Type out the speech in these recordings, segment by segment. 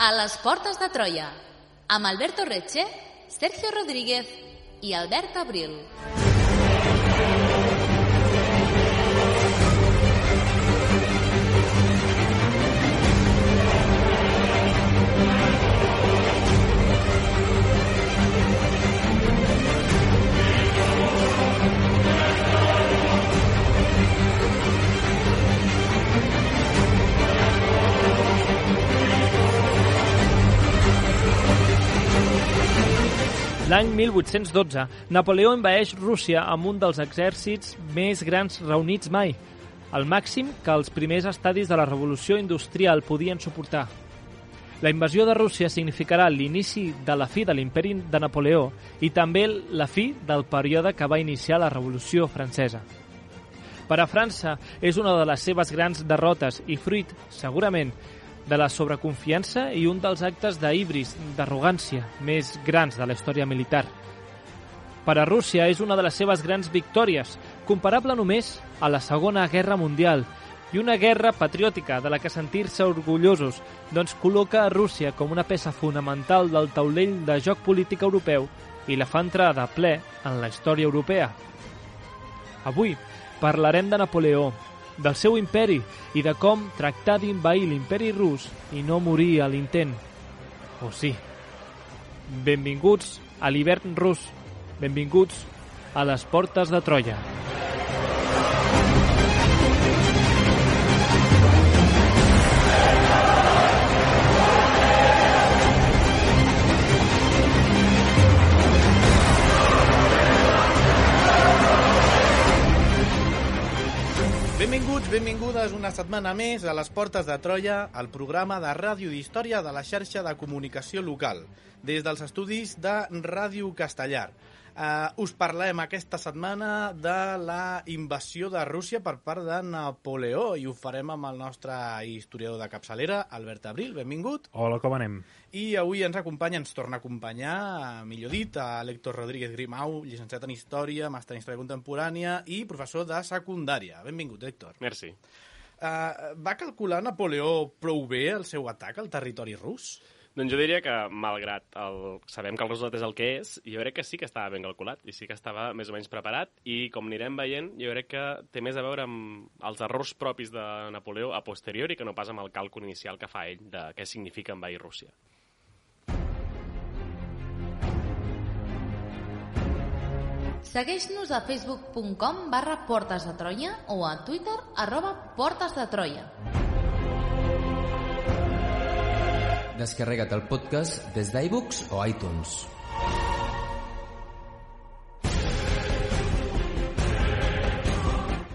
A les portes de Troia, amb Alberto Retxe, Sergio Rodríguez i Albert Abril. L'any 1812, Napoleó envaeix Rússia amb un dels exèrcits més grans reunits mai, el màxim que els primers estadis de la revolució industrial podien suportar. La invasió de Rússia significarà l'inici de la fi de l'imperi de Napoleó i també la fi del període que va iniciar la Revolució Francesa. Per a França és una de les seves grans derrotes i fruit, segurament, de la sobreconfiança i un dels actes d'híbris, d'arrogància, més grans de la història militar. Per a Rússia és una de les seves grans victòries, comparable només a la Segona Guerra Mundial, i una guerra patriòtica de la que sentir-se orgullosos, doncs col·loca a Rússia com una peça fonamental del taulell de joc polític europeu i la fa entrar de ple en la història europea. Avui parlarem de Napoleó, del seu imperi i de com tractar d'invair l'imperi rus i no morir a l'intent. Oh sí. Benvinguts a l'hivern rus. Benvinguts a les portes de Troia. Benvingudes una setmana més a les Portes de Troia, el programa de ràdio d'història de la xarxa de comunicació local, des dels estudis de Ràdio Castellar. Us parlem aquesta setmana de la invasió de Rússia per part de Napoleó i ho farem amb el nostre historiador de capçalera, Albert Abril. Benvingut. Hola, com anem? I avui ens torna a acompanyar, millor dit, a l'Héctor Rodríguez Grimau, llicenciat en Història, màster en Història Contemporània i professor de secundària. Benvingut, Héctor. Merci. Va calcular Napoleó prou bé el seu atac al territori rus? Doncs jo diria que, malgrat sabem que el resultat és el que és, jo crec que sí que estava ben calculat i sí que estava més o menys preparat i, com anirem veient, jo crec que té més a veure amb els errors propis de Napoleó a posteriori que no pas amb el càlcul inicial que fa ell de què significa envair Rússia. Segueix-nos a facebook.com/Portes de Troia o a Twitter @PortesDeTroia. Descarrega't el podcast des d'iVoox o iTunes.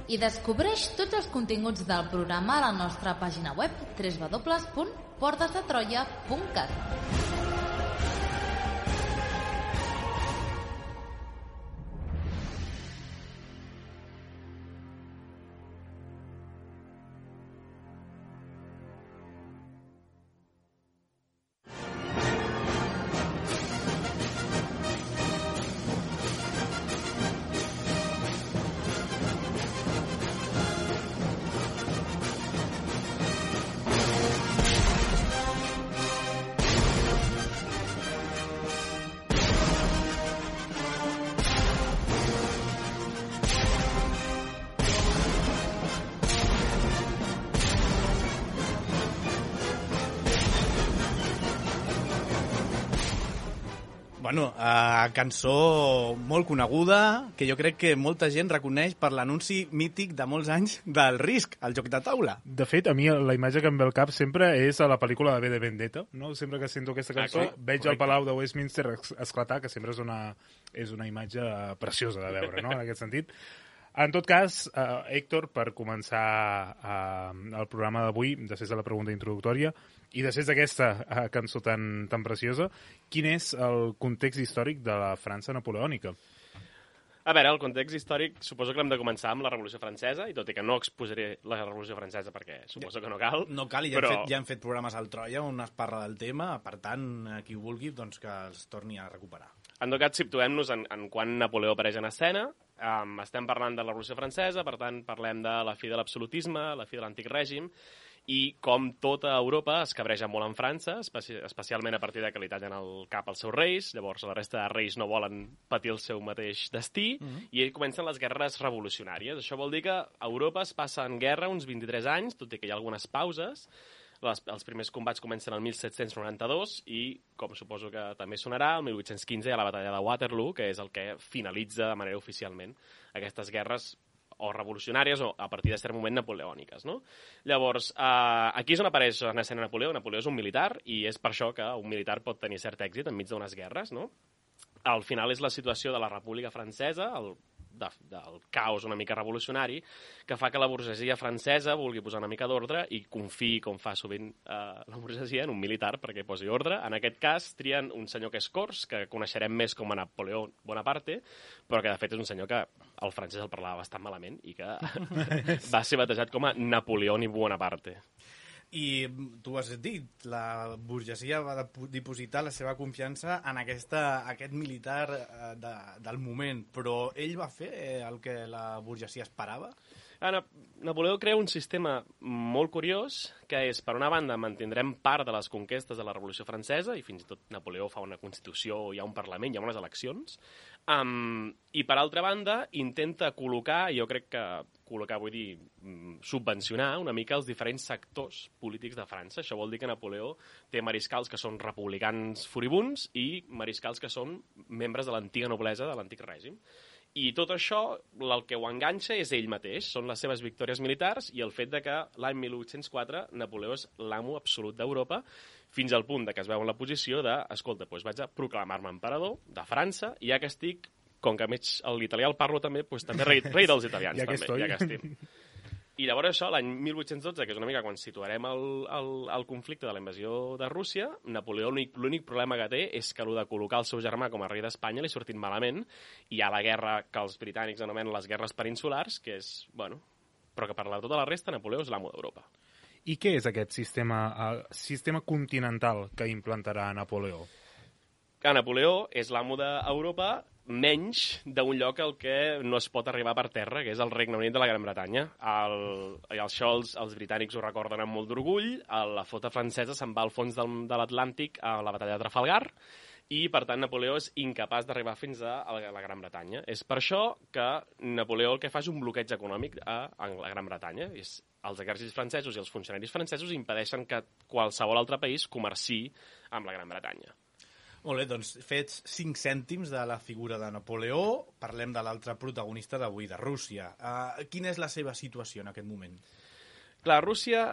I descobreix tots els continguts del programa a la nostra pàgina web www.portesdetroia.cat. Bueno, cançó molt coneguda, que jo crec que molta gent reconeix per l'anunci mític de molts anys del Risk, el joc de taula. De fet, a mi la imatge que em ve al cap sempre és a la pel·lícula de V de Vendetta, no? Sempre que sento aquesta cançó, veig el Palau de Westminster esclatar, que sempre és una imatge preciosa de veure, no?, en aquest sentit. En tot cas, Héctor, per començar el programa d'avui, després de la pregunta introductòria, i després d'aquesta cançó tan preciosa, quin és el context històric de la França napoleònica? A veure, el context històric suposo que l'hem de començar amb la Revolució Francesa, i tot i que no exposaré la Revolució Francesa perquè suposo que no cal. No cal, i ja hem fet programes al Troia on es parla del tema, per tant, qui ho vulgui, doncs que els torni a recuperar. En tot cas, situem-nos en quan Napoleó apareix en escena. Estem parlant de la Revolució Francesa, per tant, parlem de la fi de l'absolutisme, la fi de l'antic règim, I com tota Europa es cabreja molt en França, especialment a partir de que li tallen el cap als seus reis, llavors la resta de reis no volen patir el seu mateix destí, i comencen les guerres revolucionàries. Això vol dir que Europa es passa en guerra uns 23 anys, tot i que hi ha algunes pauses. Els primers combats comencen el 1792 i, com suposo que també sonarà, el 1815 hi ha la batalla de Waterloo, que és el que finalitza de manera oficialment aquestes guerres o revolucionàries o a partir de cert moment napoleòniques, no? Llavors, aquí és on apareix en escena Napoleó. Napoleó és un militar i és per això que un militar pot tenir cert èxit enmig d'unes guerres, no? Al final és la situació de la República Francesa, del caos una mica revolucionari, que fa que la burgesia francesa vulgui posar una mica d'ordre i confiï, com fa sovint la burgesia, en un militar perquè posi ordre. En aquest cas, trien un senyor que és Cors, que coneixerem més com a Napoleó Bonaparte, però que de fet és un senyor que el francès el parlava bastant malament i que va ser batejat com a Napoleón i Bonaparte. I tu has dit, la burgesia va dipositar la seva confiança en aquest militar del moment, però ell va fer el que la burgesia esperava? Napoleó crea un sistema molt curiós, que és, per una banda, mantindrem part de les conquestes de la Revolució Francesa, i fins i tot Napoleó fa una constitució, hi ha un parlament, hi ha unes eleccions, i per altra banda intenta col·locar, jo crec que col·locar, vull dir, subvencionar una mica els diferents sectors polítics de França. Això vol dir que Napoleó té mariscals que són republicans furibuns i mariscals que són membres de l'antiga noblesa de l'antic règim. I tot això, el que ho enganxa és ell mateix, són les seves victòries militars i el fet de que l'any 1804 Napoleó és l'amo absolut d'Europa, fins al punt de que es veu en la posició de, escolta, doncs vaig a proclamar-me emperador de França, i ja que estic, com que l'italià el parlo també, doncs també rei dels italians. Ja que també, ja que estic. I llavors això, l'any 1812, que és una mica quan situarem el conflicte de la invasió de Rússia, Napoleó l'únic problema que té és que el de col·locar el seu germà com a rei d'Espanya li ha sortit malament, i hi ha la guerra que els britànics anomenen les guerres peninsulars, que és, bueno, però que per tota la resta Napoleó és l'amo d'Europa. I què és aquest sistema continental que implantarà Napoleó? Que Napoleó és l'amo d'Europa, menys d'un lloc al que no es pot arribar per terra, que és el Regne Unit de la Gran Bretanya. Això els britànics ho recorden amb molt d'orgull, la flota francesa se'n va al fons de l'Atlàntic a la batalla de Trafalgar, i per tant Napoleó és incapaç d'arribar fins a la Gran Bretanya. És per això que Napoleó el que fa és un bloqueig econòmic a la Gran Bretanya. Els exèrcits francesos i els funcionaris francesos impedeixen que qualsevol altre país comerciï amb la Gran Bretanya. Molt bé, doncs fets 5 cèntims de la figura de Napoleó, parlem de l'altre protagonista d'avui, de Rússia. Quina és la seva situació en aquest moment? Clar, Rússia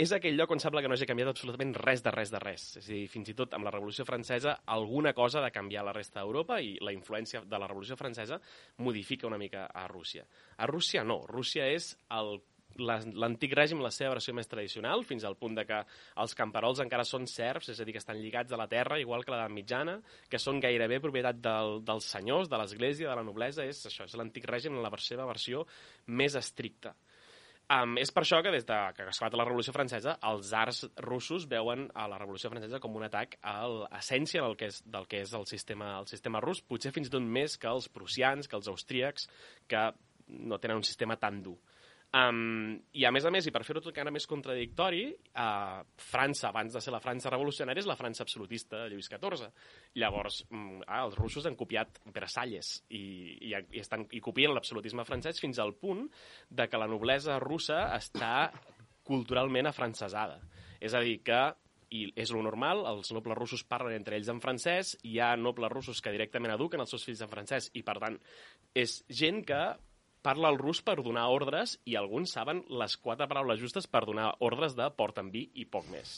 és aquell lloc on sembla que no hagi canviat absolutament res de res. És a dir, fins i tot amb la Revolució Francesa alguna cosa ha de canviar a la resta d'Europa i la influència de la Revolució Francesa modifica una mica a Rússia. A Rússia no, Rússia és l'antic règim, la seva versió més tradicional, fins al punt de que els camperols encara són serfs, és a dir, que estan lligats a la terra, igual que l'edat mitjana, que són gairebé propietat dels senyors, de l'església, de la noblesa. És l'antic règim en la seva versió més estricta. És per això que des que esclata la Revolució Francesa, els tsars russos veuen a la Revolució Francesa com un atac a l'essència del que és el sistema rus, potser fins i tot més que els prussians, que els austríacs, que no tenen un sistema tan dur. I a més, i per fer-ho tot encara més contradictori, França, abans de ser la França revolucionària, és la França absolutista de Lluís XIV. Llavors, els russos han copiat Versalles i copien l'absolutisme francès fins al punt de que la noblesa russa està culturalment afrancesada. És a dir, que i és lo normal, els nobles russos parlen entre ells en francès, hi ha nobles russos que directament eduquen els seus fills en francès i, per tant, és gent que parla el rus per donar ordres i alguns saben les 4 paraules justes per donar ordres de porta'm vi i poc més.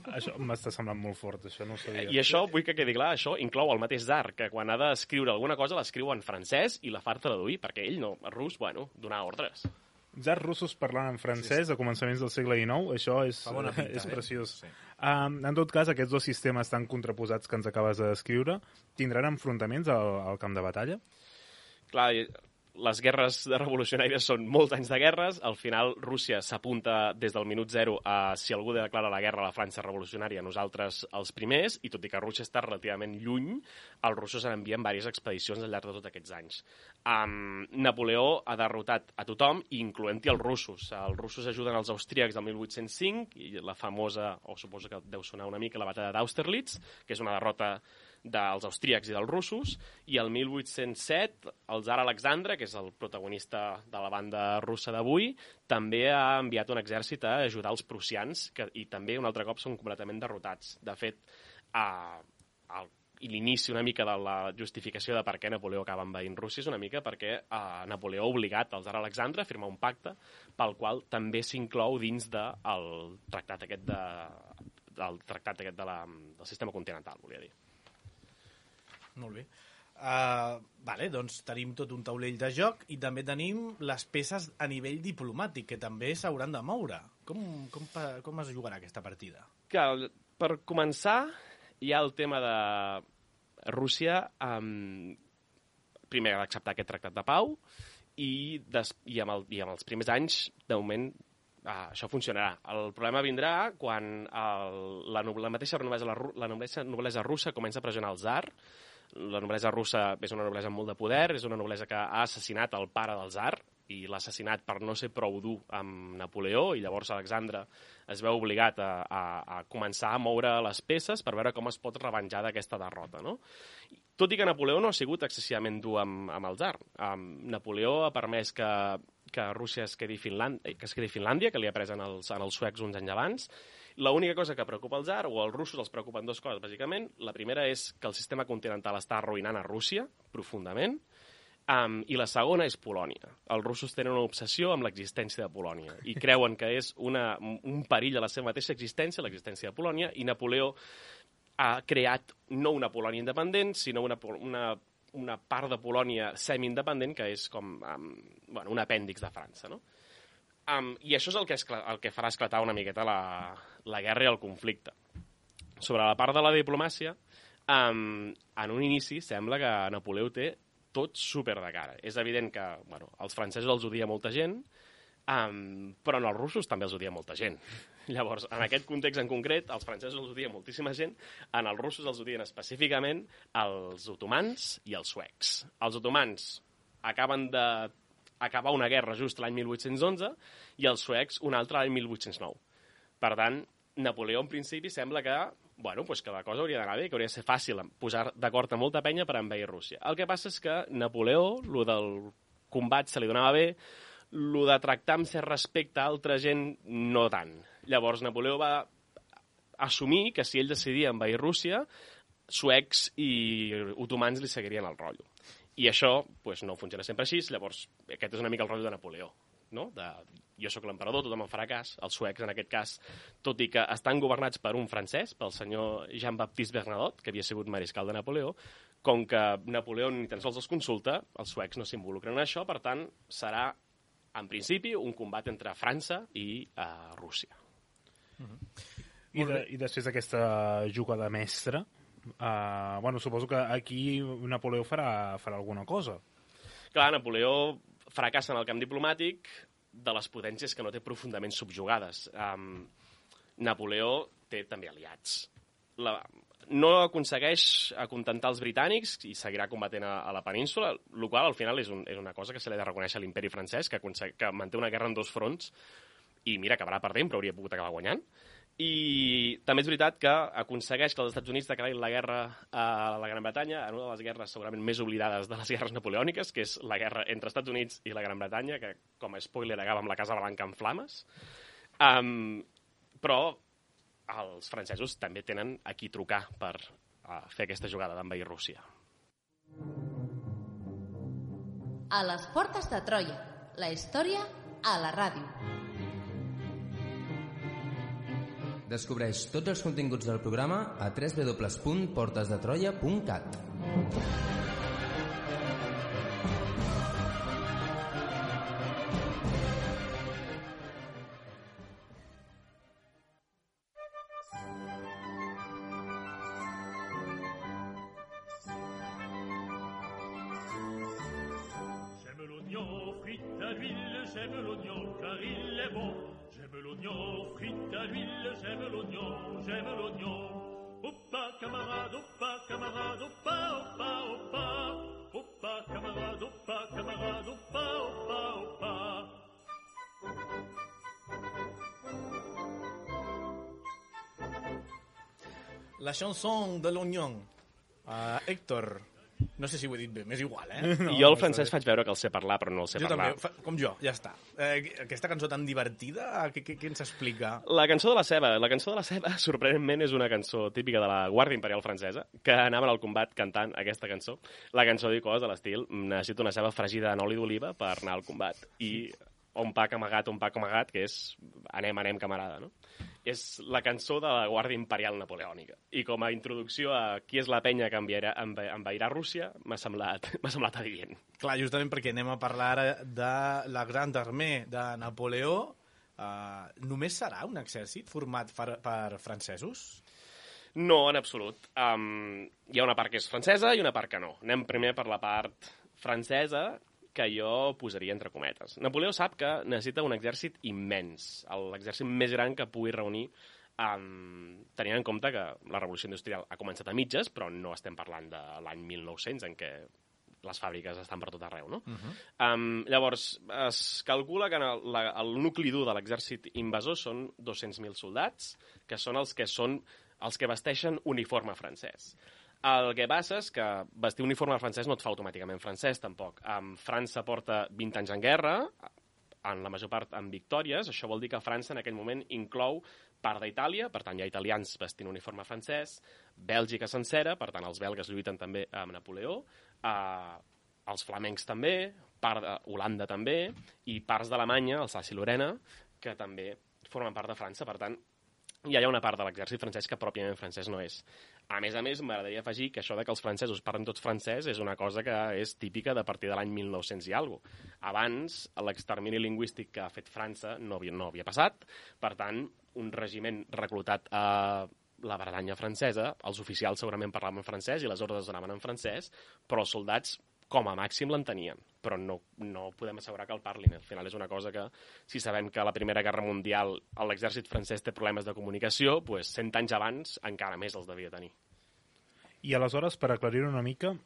Això m'està semblant molt fort, això no ho sabia. I això, vull que quedi clar, això inclou el mateix tsar, que quan ha d'escriure alguna cosa l'escriu en francès i la fa traduir, perquè ell no, el rus, bueno, donar ordres. Tsars russos parlant en francès a començaments del segle XIX, això és preciós. Sí. En tot cas, aquests dos sistemes tan contraposats que ens acabes de descriure tindran enfrontaments al camp de batalla? Clar, les guerres revolucionàries són molts anys de guerres. Al final, Rússia s'apunta des del minut zero a si algú declara la guerra a la França revolucionària, nosaltres els primers, i tot i que Rússia està relativament lluny, els russos han enviat diverses expedicions al llarg de tots aquests anys. Napoleó ha derrotat a tothom, incloent-hi els russos. Els russos ajuden els austríacs del 1805, i la famosa, o suposo que deu sonar una mica, la batalla d'Austerlitz, que és una derrota dels austríacs i dels russos, i el 1807 el tsar Alexandre, que és el protagonista de la banda russa d'avui, també ha enviat un exèrcit a ajudar els prussians, i també un altre cop són completament derrotats. De fet, l'inici una mica de la justificació de per què Napoleó acaba envaint Rússia és una mica perquè Napoleó ha obligat el tsar Alexandre a firmar un pacte pel qual també s'inclou dins del tractat aquest del sistema continental, volia dir. Molt bé. Vale, doncs tenim tot un taulell de joc i també tenim les peces a nivell diplomàtic, que també s'hauran de moure. Com es jugarà aquesta partida? Que, per començar, hi ha el tema de Rússia primer ha d'acceptar aquest tractat de pau i amb els primers anys, de moment, això funcionarà. El problema vindrà quan la mateixa noblesa russa comença a pressionar el tsar. La noblesa russa és una noblesa amb molt de poder, és una noblesa que ha assassinat el pare del tsar i l'ha assassinat per no ser prou dur amb Napoleó, i llavors Alexandre es veu obligat a començar a moure les peces per veure com es pot revenjar d'aquesta derrota, no? Tot i que Napoleó no ha sigut excessivament dur amb el tsar. Napoleó ha permès que Rússia es quedi Finlàndia, que li ha pres als suecs uns anys abans. L'única cosa que preocupa el tsar, o als russos els preocupen dues coses, bàsicament. La primera és que el sistema continental està arruïnant a Rússia, profundament, i la segona és Polònia. Els russos tenen una obsessió amb l'existència de Polònia i creuen que és un perill a la seva mateixa existència, l'existència de Polònia, i Napoleó ha creat no una Polònia independent, sinó una part de Polònia semi-independent que és com un apèndix de França, no? I això és el que farà esclatar una miqueta la guerra i el conflicte. Sobre la part de la diplomàcia, en un inici sembla que Napoleó té tot super de cara. És evident que els francesos els odia molta gent, però en els russos també els odia molta gent. Llavors, en aquest context en concret, els francesos els odia moltíssima gent, en els russos els odien específicament els otomans i els suecs. Els otomans acaben d'acabar una guerra just l'any 1811 i els suecs una altra l'any 1809. Per tant, Napoleó en principi sembla que la cosa hauria d'anar bé, que hauria de ser fàcil posar d'acord amb molta penya per envair Rússia. El que passa és que Napoleó, lo del combat se li donava bé, lo de tractar amb cert respecte a altra gent, no tant. Llavors, Napoleó va assumir que si ell decidia envair Rússia, suecs i otomans li seguirien el rotllo. I això no funciona sempre així, llavors aquest és una mica el rotllo de Napoleó, no? Jo sóc l'emperador, tothom em farà cas. Els suecs, en aquest cas, tot i que estan governats per un francès, pel senyor Jean-Baptiste Bernadotte, que havia sigut mariscal de Napoleó, com que Napoleó ni tan sols els consulta, els suecs no s'involucren en això, per tant, serà, en principi, un combat entre França i Rússia. I després d'aquesta jugada mestra, suposo que aquí Napoleó farà alguna cosa. Clar, Napoleó fracassa en el camp diplomàtic de les potències que no té profundament subjugades. Napoleó té també aliats. No aconsegueix acontentar els britànics i seguirà combatent a la península, el qual al final és una cosa que se li ha de reconèixer a l'imperi francès, que manté una guerra en dos fronts i mira, acabarà perdent, però hauria pogut acabar guanyant. I també és veritat que aconsegueix que els Estats Units declarin la guerra a la Gran Bretanya, en una de les guerres segurament més oblidades de les guerres napoleòniques, que és la guerra entre Estats Units i la Gran Bretanya, que com a spoiler acaba amb la Casa Blanca en flames. Però els francesos també tenen a qui trucar per fer aquesta jugada d'envair Rússia. A les portes de Troia, la història a la ràdio. Descobreix tots els continguts del programa a www.portesdetroia.cat. l'huile, j'aime l'oignon, car il est bon. J'aime l'oignon, frite à l'huile, j'aime l'oignon, j'aime l'oignon. Oppa, camarade, oppa, camarade, oppa, oppa, oppa. Oppa, camarade, oppa, camarade, oppa, oppa, oppa. La chanson de l'oignon. Héctor, no sé si ho he dit bé, m'és igual, No, jo el francès faig veure que el sé parlar, però no el sé parlar. Jo també, com jo, ja està. Aquesta cançó tan divertida, què ens explica? La cançó de la ceba, sorprenentment, és una cançó típica de la Guàrdia Imperial francesa, que anaven al combat cantant aquesta cançó. La cançó diu coses de l'estil, necessito una ceba fregida en oli d'oliva per anar al combat. I un pack amagat, que és anem, camarada, no? És la cançó de la Guàrdia Imperial Napoleònica. I com a introducció a qui és la penya que envairà Rússia, m'ha semblat adient. Clar, justament perquè anem a parlar ara de la Grande Armée de Napoleó. Només serà un exèrcit format per francesos? No, en absolut. Hi ha una part que és francesa i una part que no. Anem primer per la part francesa, que jo posaria entre cometes. Napoleó sap que necessita un exèrcit immens, l'exèrcit més gran que pugui reunir, tenint en compte que la revolució industrial ha començat a mitges, però no estem parlant de l'any 1900, en què les fàbriques estan per tot arreu, no? Llavors, es calcula que el nucli dur de l'exèrcit invasor són 200.000 soldats, que són els que vesteixen uniforme francès. El que passa és que vestir uniforme francès no et fa automàticament francès, tampoc. França porta 20 anys en guerra, en la major part amb victòries. Això vol dir que França en aquell moment inclou part d'Itàlia, per tant hi ha italians vestint uniforme francès, Bèlgica sencera, per tant els belgues lluiten també amb Napoleó, els flamencs també, part d'Holanda també, i parts d'Alemanya, Alsàcia i Lorena, que també formen part de França, per tant hi ha una part de l'exèrcit francès que pròpiament francès no és. A més, m'agradaria afegir que això de que els francesos parlen tots francès és una cosa que és típica de partir de l'any 1900 i alguna cosa. Abans, l'extermini lingüístic que ha fet França no havia passat. Per tant, un regiment reclutat a la Bretanya francesa, els oficials segurament parlaven francès i les ordres anaven en francès, però els soldats com a màxim l'entenien, però no podem assegurar que el parlin. Al final és una cosa que, si sabem que a la Primera Guerra Mundial l'exèrcit francès té problemes de comunicació, doncs 100 anys abans encara més els devia tenir. I aleshores, per aclarir una mica,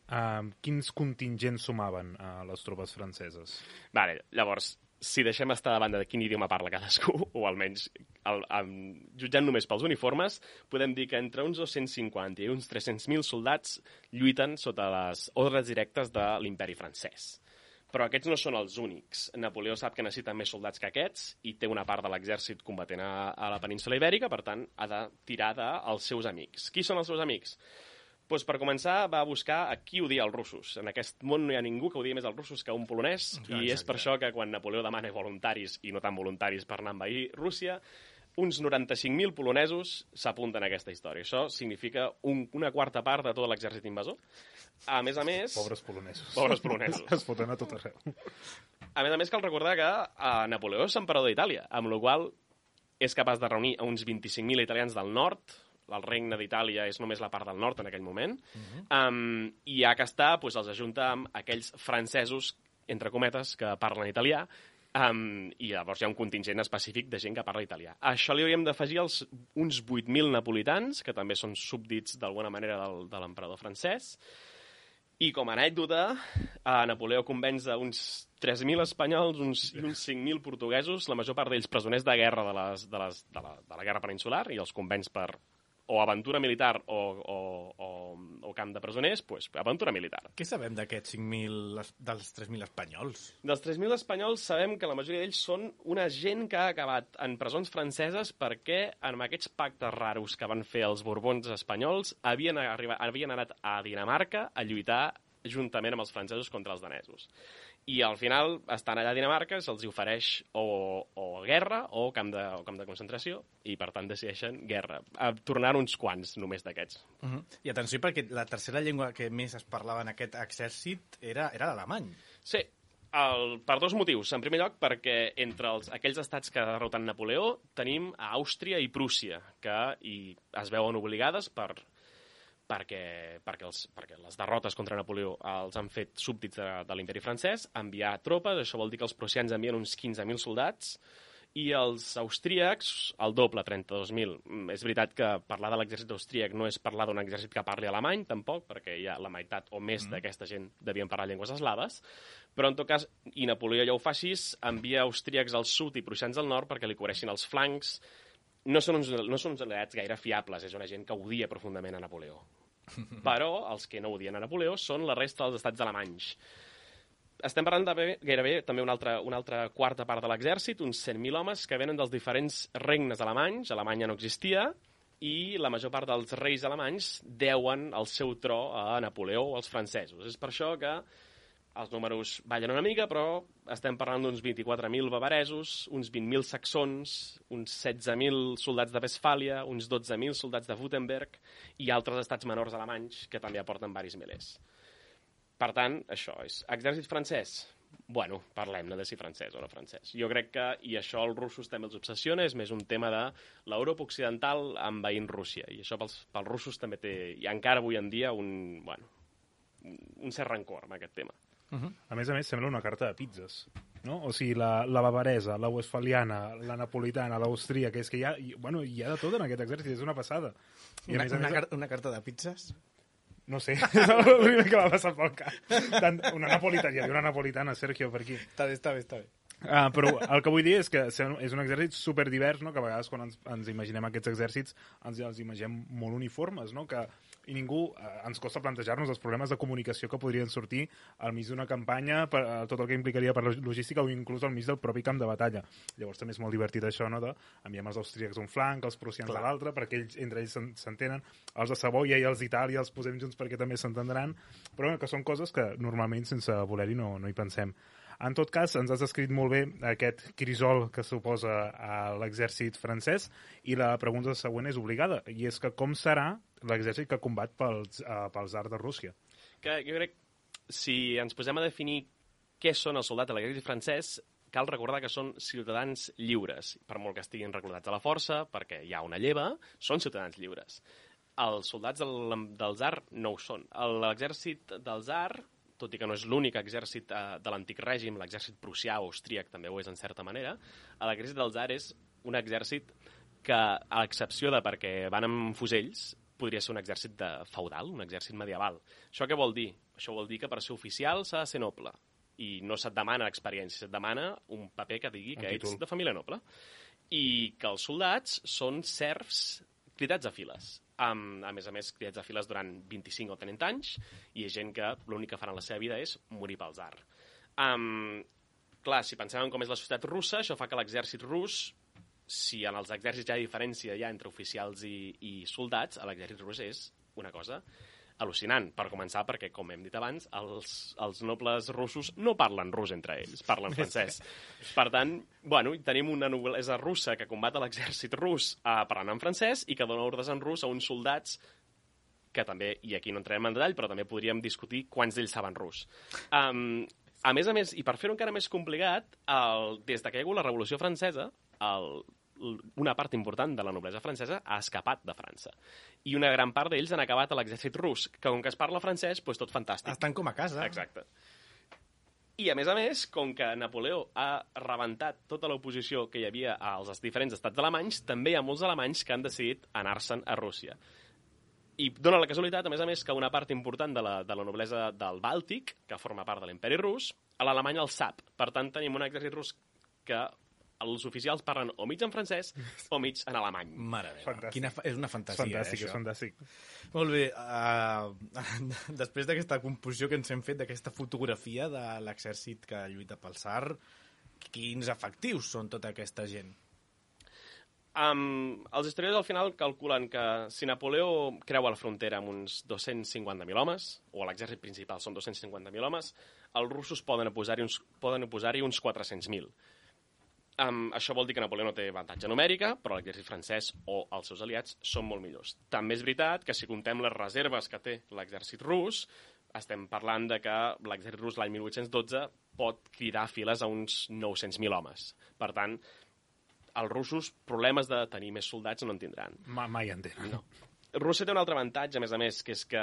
quins contingents sumaven les tropes franceses? Vale, llavors, si deixem estar de banda de quin idioma parla cadascú, o almenys jutjant només pels uniformes, podem dir que entre uns 250 i uns 300.000 soldats lluiten sota les ordres directes de l'imperi francès. Però aquests no són els únics. Napoleó sap que necessita més soldats que aquests i té una part de l'exèrcit combatent a la península Ibèrica, per tant, ha de tirar dels seus amics. Qui són els seus amics? Doncs per començar va buscar a qui odia els russos. En aquest món no hi ha ningú que odia més els russos que un polonès, i és per això que quan Napoleó demana voluntaris i no tan voluntaris per anar a envair Rússia, uns 95.000 polonesos s'apunten a aquesta història. Això significa una quarta part de tot l'exèrcit invasor. A més, Pobres polonesos. Pobres polonesos. Es foten a tot arreu. A més, cal recordar que Napoleó és emperador d'Itàlia, amb la qual és capaç de reunir uns 25.000 italians del nord. El regne d'Itàlia és només la part del nord en aquell moment, i ja que està, doncs els ajunta amb aquells francesos, entre cometes, que parlen italià, i llavors hi ha un contingent específic de gent que parla italià. A això li hauríem d'afegir uns 8.000 napolitans, que també són súbdits d'alguna manera de l'emperador francès, i com a anècdota, Napoleó convenç uns 3.000 espanyols i uns 5.000 portuguesos, la major part d'ells presoners de guerra de la guerra peninsular, i els convenç per o aventura militar o camp de presoners, doncs aventura militar. Què sabem d'aquests 5.000, dels 3.000 espanyols? Dels 3.000 espanyols sabem que la majoria d'ells són una gent que ha acabat en presons franceses perquè amb aquests pactes raros que van fer els borbons espanyols havien anat a Dinamarca a lluitar juntament amb els francesos contra els danesos. I al final estan allà a Dinamarca, se'ls ofereix o guerra o camp de concentració, i per tant decideixen guerra. Tornar uns quants només d'aquests. I atenció, perquè la tercera llengua que més es parlava en aquest exèrcit era l'alemany. Sí, per dos motius. En primer lloc, perquè entre aquells estats que derroten Napoleó tenim Àustria i Prússia, que es veuen obligades per perquè les derrotes contra Napoleó els han fet súbdits de l'imperi francès, enviar tropes, això vol dir que els prussians envien uns 15.000 soldats, i els austríacs, el doble, 32.000. És veritat que parlar de l'exèrcit austríac no és parlar d'un exèrcit que parli alemany, tampoc, perquè ja la meitat o més d'aquesta gent devien parlar llengües eslaves, però en tot cas, i Napoleó ja ho fa així, envia austríacs al sud i prussians al nord perquè li cobreixin els flancs. No són uns aliats gaire fiables, és una gent que odia profundament a Napoleó. Però els que no odien a Napoleó són la resta dels estats alemanys. Estem parlant de gairebé també una altra quarta part de l'exèrcit, uns 100.000 homes que venen dels diferents regnes alemanys, Alemanya no existia, i la major part dels reis alemanys deuen el seu tro a Napoleó o als francesos. És per això que els números ballen una mica, però estem parlant d'uns 24.000 bavaresos, uns 20.000 saxons, uns 16.000 soldats de Westfàlia, uns 12.000 soldats de Württemberg i altres estats menors alemanys que també aporten varis milers. Per tant, això és. Exèrcit francès? Bueno, parlem-ne de si francès o no francès. Jo crec que, i això als russos també els obsessiona, és més un tema de l'Europa occidental envaint Rússia. I això pels russos també té, i encara avui en dia, un cert rancor amb aquest tema. A més, sembla una carta de pizzas, no? O sigui, la bavaresa, la westfaliana, la napolitana, l'austríaca, és que hi ha de tot en aquest exèrcit, és una passada. I una carta de pizzas? No sé, és el primer que va passar pel cap. Una napolitana, hi havia una napolitana, Sergio, per aquí. Està bé. Però el que vull dir és que és un exèrcit superdivers, no? Que a vegades quan ens imaginem aquests exèrcits ens imaginem molt uniformes, no? I ningú ens costa plantejar-nos els problemes de comunicació que podrien sortir al mig d'una campanya, tot el que implicaria per la logística o inclús al mig del propi camp de batalla. Llavors també és molt divertit això, no? Enviem els austríacs d'un flanc, els prussians a l'altre, perquè entre ells s'entenen, els de Savoia i els d'Itàlia els posem junts perquè també s'entendran, però que són coses que normalment sense voler-hi no hi pensem. En tot cas, ens has descrit molt bé aquest crisol que suposa a l'exèrcit francès i la pregunta següent és obligada, i és que com serà l'exèrcit que combat pels tsars de Rússia? Que jo crec, si ens posem a definir què són els soldats de l'exèrcit francès, cal recordar que són ciutadans lliures, per molt que estiguin reclutats a la força, perquè hi ha una lleva, són ciutadans lliures. Els soldats del tsar no ho són. L'exèrcit del tsar, tot i que no és l'únic exèrcit de l'antic règim, l'exèrcit prussià o austríac també ho és en certa manera, l'exèrcit del tsar és un exèrcit que, a l'excepció de perquè van amb fusells, podria ser un exèrcit feudal, un exèrcit medieval. Això què vol dir? Això vol dir que per ser oficial s'ha de ser noble. I no se't demana experiència, se't demana un paper que digui que ets de família noble. I que els soldats són serfs cridats a files. A més, cridats a files durant 25 o 30 anys, i hi ha gent que l'únic que faran a la seva vida és morir pel tsar. Clar, si pensem en com és la societat russa, això fa que l'exèrcit rus, si en els exèrcits hi ha diferència entre oficials i soldats, l'exèrcit rus és una cosa al·lucinant, per començar, perquè, com hem dit abans, els nobles russos no parlen rus entre ells, parlen francès. Per tant, tenim una noblesa russa que combat a l'exèrcit rus parlant en francès i que dona ordres en rus a uns soldats que també, i aquí no entrarem en detall, però també podríem discutir quants d'ells saben rus. A més, i per fer-ho encara més complicat, des que hi ha hagut la Revolució Francesa, una part important de la noblesa francesa ha escapat de França. I una gran part d'ells han acabat a l'exèrcit rus, que com que es parla francès, doncs tot fantàstic. Estan com a casa. Exacte. I a més, com que Napoleó ha rebentat tota l'oposició que hi havia als diferents estats alemanys, també hi ha molts alemanys que han decidit anar-se'n a Rússia. I dona la casualitat, a més, que una part important de la noblesa del Bàltic, que forma part de l'imperi rus, a l'Alemanya el sap. Per tant, tenim un exèrcit rus que els oficials parlen o mig en francès o mig en alemany. Mare meva, és una fantasia, és fantàstic. Molt bé, després d'aquesta composició que ens hem fet, d'aquesta fotografia de l'exèrcit que lluita pel tsar, quins efectius són tota aquesta gent? Els historiadors al final calculen que si Napoleó creua la frontera amb uns 250.000 homes, o l'exèrcit principal són 250.000 homes, els russos poden oposar-hi uns 400.000. Això vol dir que Napoleó no té avantatge numèrica, però l'exèrcit francès o els seus aliats són molt millors. També és veritat que si comptem les reserves que té l'exèrcit rus, estem parlant de que l'exèrcit rus l'any 1812 pot cridar files a uns 900.000 homes. Per tant, els russos problemes de tenir més soldats no en tindran. Mai en tenen. No. Rússia té un altre avantatge, a més, que és que,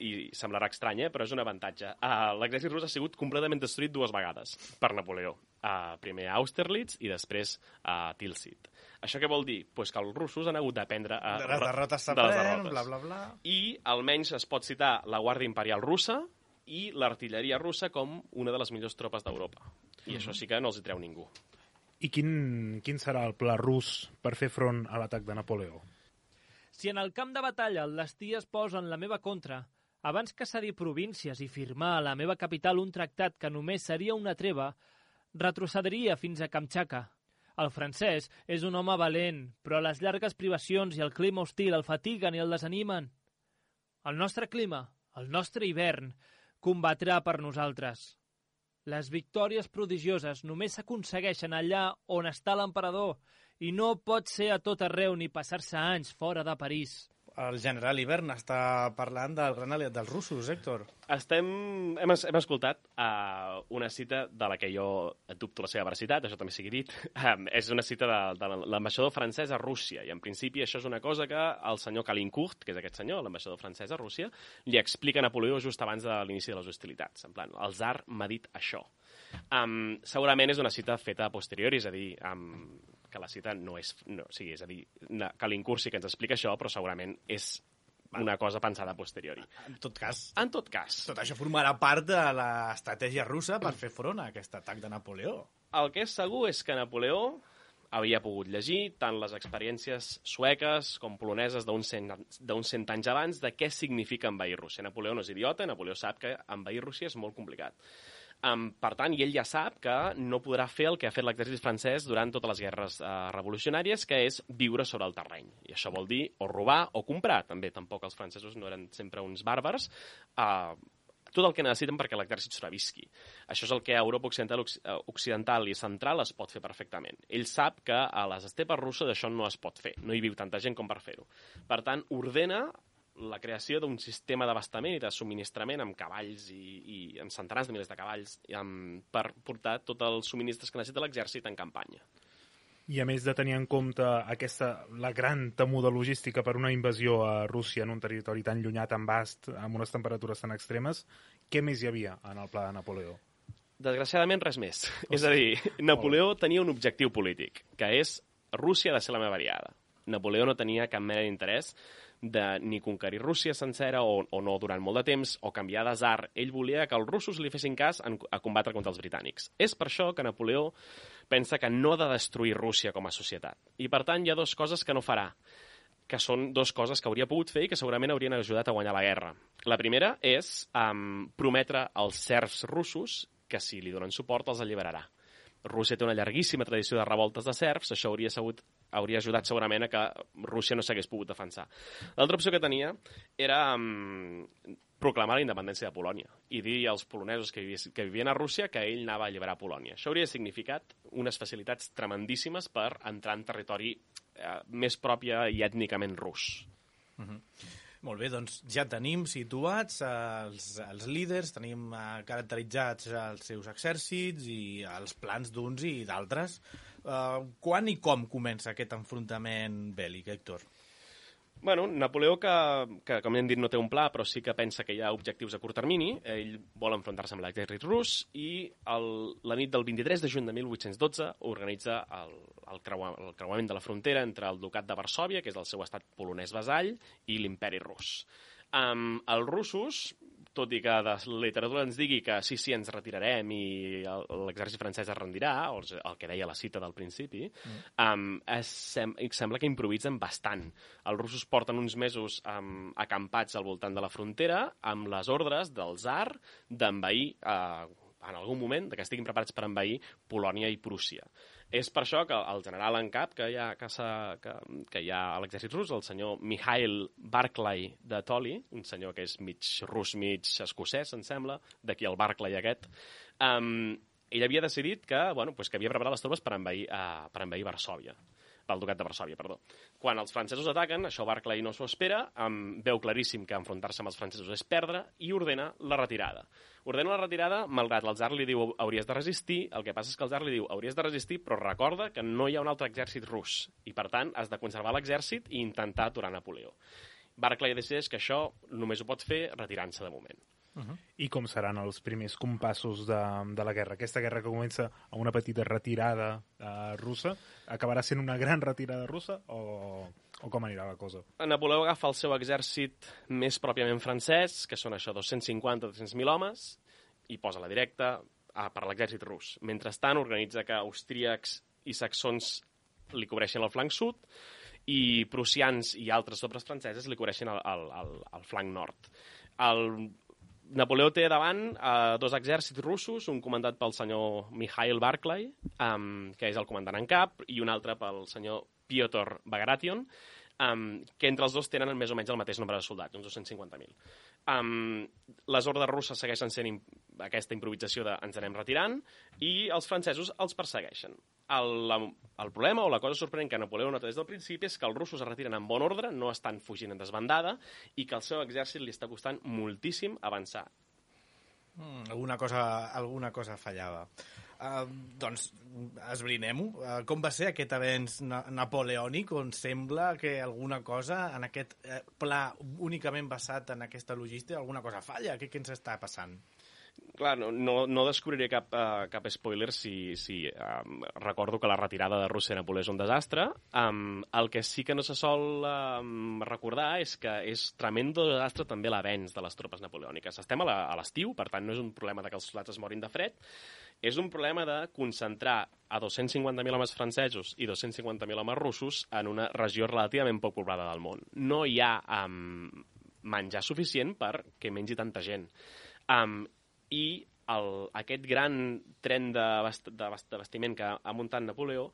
i semblarà estrany, però és un avantatge. L'exèrcit rus ha sigut completament destruït 2 vegades per Napoleó. Primer a Austerlitz i després a Tilsit. Això què vol dir? Pues que els russos han hagut d'aprendre de les derrotes s'aprèn, bla, bla, bla. I almenys es pot citar la Guàrdia Imperial russa i l'artilleria russa com una de les millors tropes d'Europa. I això sí que no els hi treu ningú. I quin serà el pla rus per fer front a l'atac de Napoleó? Si en el camp de batalla el destí es posa en la meva contra, abans que cedir províncies i firmar a la meva capital un tractat que només seria una treva, retrocediria fins a Kamtxatka. El francès és un home valent, però les llargues privacions i el clima hostil el fatiguen i el desanimen. El nostre clima, el nostre hivern, combatrà per nosaltres. Les victòries prodigioses només s'aconsegueixen allà on està l'emperador i no pot ser a tot arreu ni passar-se anys fora de París. El general Ivern està parlant del gran aliat dels russos, Héctor. Hem escoltat una cita de la que jo dubto la seva veracitat, això també sigui dit. És una cita de l'ambaixador francès a Rússia, i en principi això és una cosa que el senyor Calincourt, que és aquest senyor, l'ambaixador francès a Rússia, li explica a Napoleó just abans de l'inici de les hostilitats. En plan, el tsar m'ha dit això. Segurament és una cita feta a posteriori, és a dir, que la cita no és... és a dir, Calincourt sí que ens explica això, però segurament és una cosa pensada a posteriori. En tot cas, tot això formarà part de l'estratègia russa per fer front a aquest atac de Napoleó. El que és segur és que Napoleó havia pogut llegir tant les experiències sueques com poloneses d'uns 100 anys abans de què significa envair Rússia. Napoleó no és idiota, Napoleó sap que envair Rússia és molt complicat. Per tant, ell ja sap que no podrà fer el que ha fet l'exèrcit francès durant totes les guerres revolucionàries, que és viure sobre el terreny. I això vol dir o robar o comprar, també. Tampoc els francesos no eren sempre uns bàrbars. Tot el que necessiten perquè l'exèrcit sobrevisqui. Això és el que a Europa occidental i central es pot fer perfectament. Ell sap que a les estepes russes això no es pot fer. No hi viu tanta gent com per fer-ho. Per tant, ordena la creació d'un sistema d'abastament i de subministrament amb cavalls i amb centenars de milers de cavalls per portar tots els subministres que necessita l'exèrcit en campanya. I a més de tenir en compte la gran temuda logística per una invasió a Rússia en un territori tan llunyà, tan vast, amb unes temperatures tan extremes, què més hi havia en el pla de Napoleó? Desgraciadament, res més. És a dir, Napoleó tenia un objectiu polític, que és Rússia ha de ser la meva aliada. Napoleó no tenia cap mena d'interès de ni conquerir Rússia sencera o no durant molt de temps, o canviar de tsar. Ell volia que els russos li fessin cas a combatre contra els britànics. És per això que Napoleó pensa que no ha de destruir Rússia com a societat. I, per tant, hi ha 2 coses que no farà, que són 2 coses que hauria pogut fer i que segurament haurien ajudat a guanyar la guerra. La primera és prometre als serfs russos que si li donen suport els alliberarà. Rússia té una llarguíssima tradició de revoltes de serfs, això hauria ajudat segurament a que Rússia no s'hagués pogut defensar. L'altra opció que tenia era proclamar la independència de Polònia i dir als polonesos que vivien a Rússia que ell anava a alliberar Polònia. Això hauria significat unes facilitats tremendíssimes per entrar en territori més pròpia i ètnicament rus. Molt bé, doncs ja tenim situats els líders, tenim caracteritzats els seus exèrcits i els plans d'uns i d'altres. Quan i com comença aquest enfrontament bèl·lic, Héctor? Bueno, Napoleó, que com hem dit no té un pla, però sí que pensa que hi ha objectius a curt termini, ell vol enfrontar-se amb l'exèrcit rus i la nit del 23 de juny de 1812 organitza el creuament de la frontera entre el ducat de Varsòvia, que és el seu estat polonès vasall, i l'imperi rus. Els russos, tot i que la literatura ens digui que sí, ens retirarem i l'exèrcit francès es rendirà, o el que deia la cita del principi, sembla que improvisen bastant. Els russos porten uns mesos acampats al voltant de la frontera amb les ordres del tsar d'envair, en algun moment, que estiguin preparats per envair Polònia i Prússia. És per això que el general en cap que hi ha a l'exèrcit rus, el senyor Mikhail Barclay de Toli, un senyor que és mig rus, mig escocès, em sembla, d'aquí el Barclay aquest, ell havia decidit que havia preparat les tropes per envair Varsòvia, pel ducat de Varsòvia, perdó. Quan els francesos ataquen, això Barclay no s'ho espera, veu claríssim que enfrontar-se amb els francesos és perdre i ordena la retirada. Ordena la retirada, malgrat el tsar li diu hauries de resistir, el que passa és que el tsar li diu hauries de resistir, però recorda que no hi ha un altre exèrcit rus i, per tant, has de conservar l'exèrcit i intentar aturar Napoleó. Barclay decideix que això només ho pot fer retirant-se de moment. I com seran els primers compassos de la guerra? Aquesta guerra que comença amb una petita retirada russa, acabarà sent una gran retirada russa o com anirà la cosa? Napoleó agafa el seu exèrcit més pròpiament francès, que són això, 250-300.000 homes, i posa la directa per l'exèrcit rus. Mentrestant, organitza que austríacs i saxons li cobreixen el flanc sud i prussians i altres tropes franceses li cobreixen el flanc nord. Napoleó té davant dos exèrcits russos, un comandat pel senyor Mikhail Barclay, que és el comandant en cap, i un altre pel senyor Piotr Bagration, que entre els dos tenen més o menys el mateix nombre de soldats, uns 250.000. Les ordres russes segueixen sent aquesta improvisació de ens anem retirant, i els francesos els persegueixen. El problema o la cosa sorprenent que Napoleó nota des del principi és que els russos es retiren en bon ordre, no estan fugint en desbandada, i que al seu exèrcit li està costant moltíssim avançar. Alguna cosa fallava. Doncs esbrinem-ho. Com va ser aquest avenç napoleònic on sembla que alguna cosa en aquest pla únicament basat en aquesta logística, alguna cosa falla? Què ens està passant? Clar, no descobriré cap spoiler si recordo que la retirada de Rússia de Napoleó és un desastre. El que sí que no se sol recordar és que és tremendo desastre també l'avenç de les tropes napoleòniques. Estem a l'estiu, per tant no és un problema de que els soldats es morin de fred, és un problema de concentrar a 250.000 homes francesos i 250.000 homes russos en una regió relativament poc poblada del món. No hi ha menjar suficient perquè mengi tanta gent. I aquest gran tren d'abastiment que ha muntat Napoleó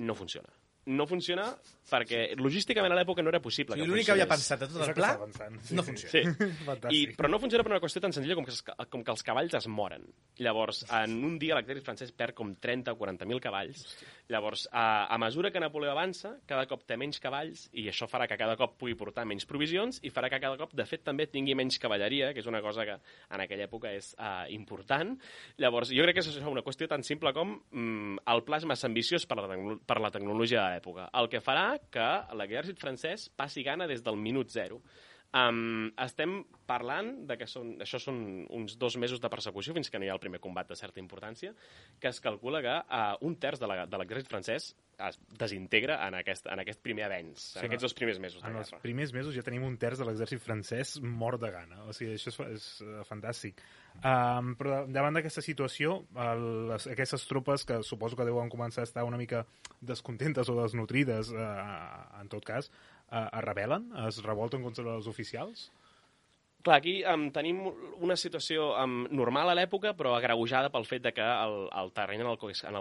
no funciona. No funciona perquè logísticament a l'època no era possible. O sigui, l'únic que havia pensat a tot el pla no funciona. Sí. Però no funciona per una qüestió tan senzilla com que els cavalls es moren. Llavors, en un dia l'exèrcit francès perd com 30 o 40.000 cavalls. Llavors, a mesura que Napoleó avança, cada cop té menys cavalls i això farà que cada cop pugui portar menys provisions i farà que cada cop, de fet, també tingui menys cavalleria, que és una cosa que en aquella època és important. Llavors, jo crec que és una qüestió tan simple com el pla és massa ambiciós per la tecnologia de l'època. El que farà que l'exèrcit francès passi gana des del minut zero. Estem parlant de que això són uns 2 mesos de persecució fins que no hi ha el primer combat de certa importància, que es calcula que un terç de l'exèrcit francès es desintegra en aquest primer avenç, en aquests 2 primers mesos de guerra. En els primers mesos ja tenim un terç de l'exèrcit francès mort de gana. O sigui, això és fantàstic. Però davant d'aquesta situació, aquestes tropes que suposo que deuen començar a estar una mica descontentes o desnutrides, en tot cas, es rebel·len? Es revolten contra els oficials? Clar, aquí tenim una situació normal a l'època, però agreujada pel fet de que el terreny en el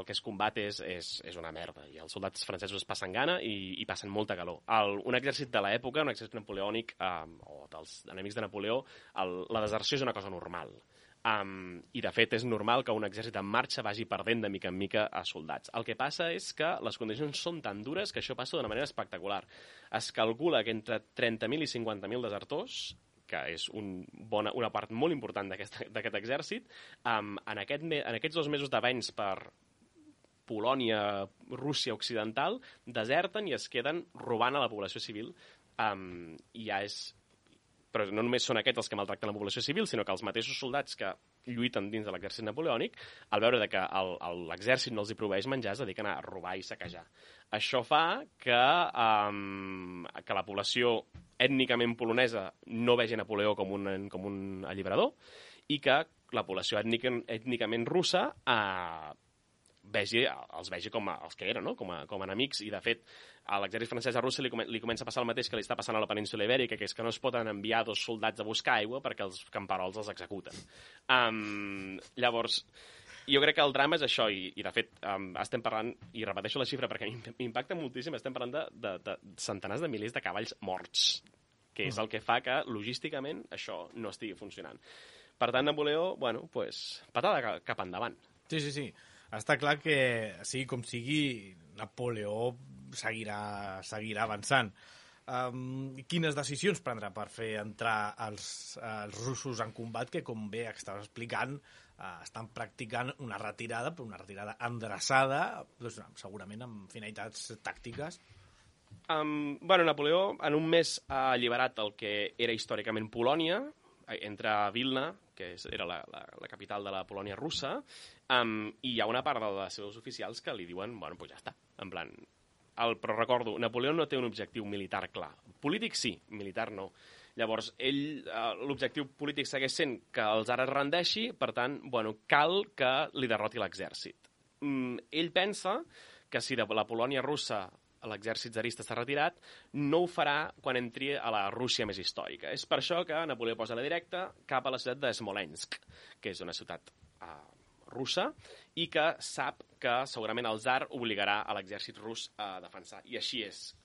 que es combat és una merda, i els soldats francesos es passen gana i passen molta calor. Un exèrcit de l'època, un exèrcit napoleònic, o dels enemics de Napoleó, la deserció és una cosa normal. I de fet és normal que un exèrcit en marxa vagi perdent de mica en mica a soldats. El que passa és que les condicions són tan dures que això passa d'una manera espectacular. Es calcula que entre 30.000 i 50.000 desertors, que és una part molt important d'aquest exèrcit, en aquests 2 mesos d'avenç per Polònia, Rússia occidental, deserten i es queden robant a la població civil. I ja és... Però no només són aquests els que maltracten la població civil, sinó que els mateixos soldats que lluiten dins de l'exèrcit napoleònic, al veure que l'exèrcit no els hi proveeix menjar, es dediquen a robar i saquejar. Això fa que la població ètnicament polonesa no vegi Napoleó com un alliberador i que la població ètnicament russa els vegi com els que eren, no? com a enemics, i de fet a l'exèrcit francès a Rússia li comença a passar el mateix que li està passant a la península Ibèrica, que és que no es poden enviar 2 soldats a buscar aigua perquè els camperols els executen. Llavors, jo crec que el drama és això, i de fet estem parlant, i repeteixo la xifra perquè m'impacta moltíssim, estem parlant de centenars de milers de cavalls morts, que és el que fa que logísticament això no estigui funcionant. Per tant, Napoleó, patada cap endavant. Sí. Està clar que, sigui com sigui, Napoleó seguirà avançant. Quines decisions prendrà per fer entrar els russos en combat que, com bé estaves explicant, estan practicant una retirada, però una retirada endreçada, doncs, segurament amb finalitats tàctiques? Napoleó en un mes ha alliberat el que era històricament Polònia, entre Vilna, que era la capital de la Polònia russa, i hi ha una part dels seus oficials que li diuen, bueno, doncs ja està, en plan... Però recordo, Napoleó no té un objectiu militar clar. Polític sí, militar no. Llavors, l'objectiu polític segueix sent que el tsar es rendeixi, per tant, cal que li derroti l'exèrcit. Ell pensa que si de la Polònia russa l'exèrcit tsarista s'ha retirat, no ho farà quan entri a la Rússia més històrica. És per això que Napoleó posa la directa cap a la ciutat de Smolensk, que és una ciutat russa, i que sap que segurament el tsar obligarà a l'exèrcit rus a defensar. I així és.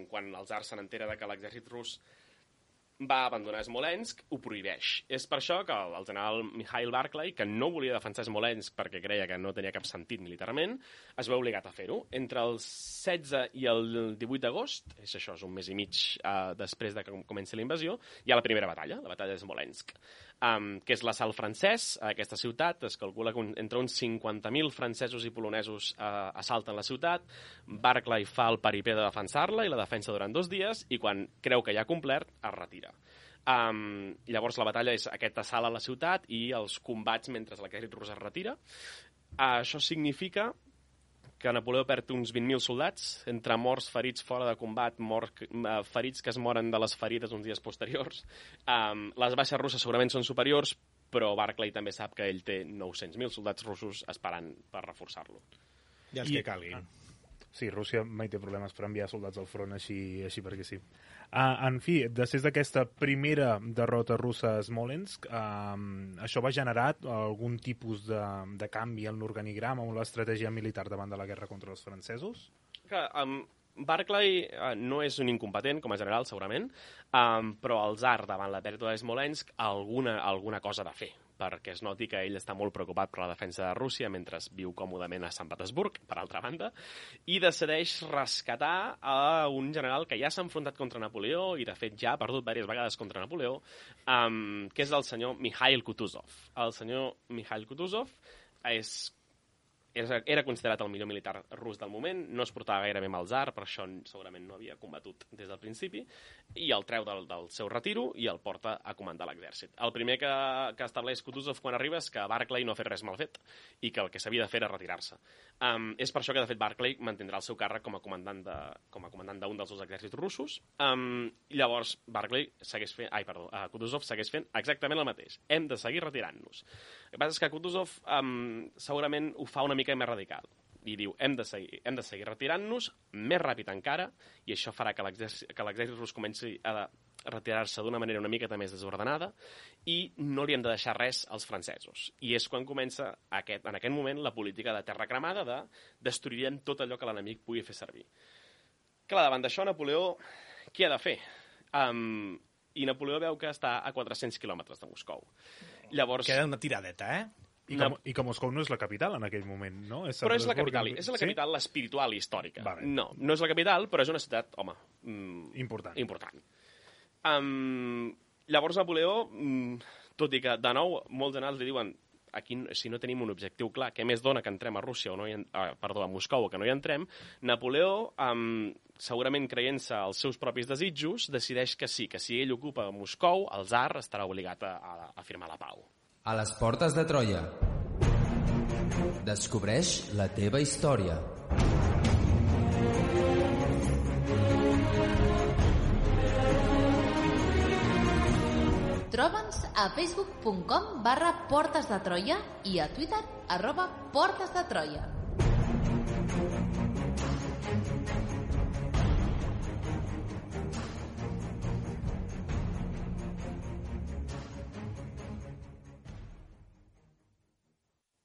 Quan el tsar se n'entera que l'exèrcit rus va abandonar Smolensk, ho prohibeix. És per això que el general Mikhail Barclay, que no volia defensar Smolensk perquè creia que no tenia cap sentit militarment, es veu obligat a fer-ho. Entre el 16 i el 18 d'agost, és un mes i mig després de que comenci la invasió, hi ha la primera batalla, la batalla de Smolensk, que és l'assalt francès a aquesta ciutat. Es calcula que entre uns 50.000 francesos i polonesos assalten la ciutat. Barclay fa el peripé de defensar-la i la defensa durant 2 dies, i quan creu que ja ha complert, es retira. Llavors la batalla és aquest assalt a la ciutat i els combats mentre l'exèrcit rus es retira. Això significa que Napoleó perd uns 20.000 soldats, entre morts, ferits fora de combat, ferits que es moren de les ferides uns dies posteriors. Les baixes russes segurament són superiors, però Barclay també sap que ell té 900.000 soldats russos esperant per reforçar-lo. I els que calguin. Sí, Rússia mai té problemes per enviar soldats al front així perquè sí. En fi, després d'aquesta primera derrota russa a Smolensk, això va generar algun tipus de canvi en l'organigrama o l'estratègia militar davant de la guerra contra els francesos? Barclay no és un incompetent, com a general, segurament, però el tsar, davant la pèrdua de Smolensk, alguna cosa ha de fer, perquè es noti que ell està molt preocupat per la defensa de Rússia mentre viu còmodament a Sant Petersburg, per altra banda, i decideix rescatar a un general que ja s'ha enfrontat contra Napoleó i, de fet, ja ha perdut diverses vegades contra Napoleó, que és el senyor Mikhail Kutuzov. El senyor Mikhail Kutuzov era considerat el millor militar rus del moment, no es portava gaire bé amb el tsar, per això segurament no havia combatut des del principi, i el treu del seu retiro i el porta a comandar l'exèrcit. El primer que estableix Kutuzov quan arriba és que Barclay no ha fet res mal fet i que el que s'havia de fer era retirar-se. És per això que, de fet, Barclay mantindrà el seu càrrec com a comandant d'un dels dos exèrcits russos. Llavors, Kutuzov segueix fent exactament el mateix. Hem de seguir retirant-nos. El que passa és que Kutuzov segurament ho fa una mica més radical i diu, hem de seguir retirant-nos més ràpid encara, i això farà que l'exèrcit rus comenci a retirar-se d'una manera una miqueta més desordenada, i no li hem de deixar res als francesos. I és quan comença en aquest moment la política de terra cremada de destruirem tot allò que l'enemic pugui fer servir. Clar, davant d'això Napoleó què ha de fer? I Napoleó veu que està a 400 quilòmetres de Moscou. Llavors, queda una tiradeta, I que Moscou no és la capital en aquell moment, no? Però és la capital, és la capital espiritual i històrica. Vale. No és la capital, però és una ciutat, important. Llavors Napoleó, tot i que de nou molts generals li diuen aquí, si no tenim un objectiu clar, què més dona que entrem a Rússia a Moscou o que no hi entrem, Napoleó, segurament creient-se els seus propis desitjos, decideix que sí, que si ell ocupa Moscou, el tsar estarà obligat a firmar la pau. A les portes de Troia. Descobreix la teva història. Troba'ns a facebook.com/Portes de Troia i a Twitter @Portes de Troia.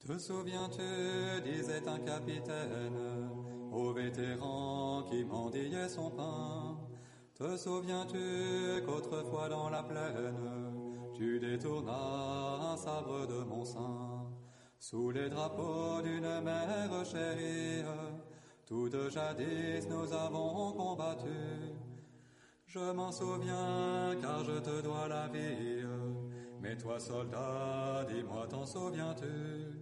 Te souviens-tu, disait un capitaine, aux vétérans qui mendiaient son pain. Te souviens-tu qu'autrefois dans la plaine, tu détournas un sabre de mon sein, sous les drapeaux d'une mère chérie, toutes jadis nous avons combattu. Je m'en souviens car je te dois la vie, mais toi soldat, dis-moi t'en souviens-tu?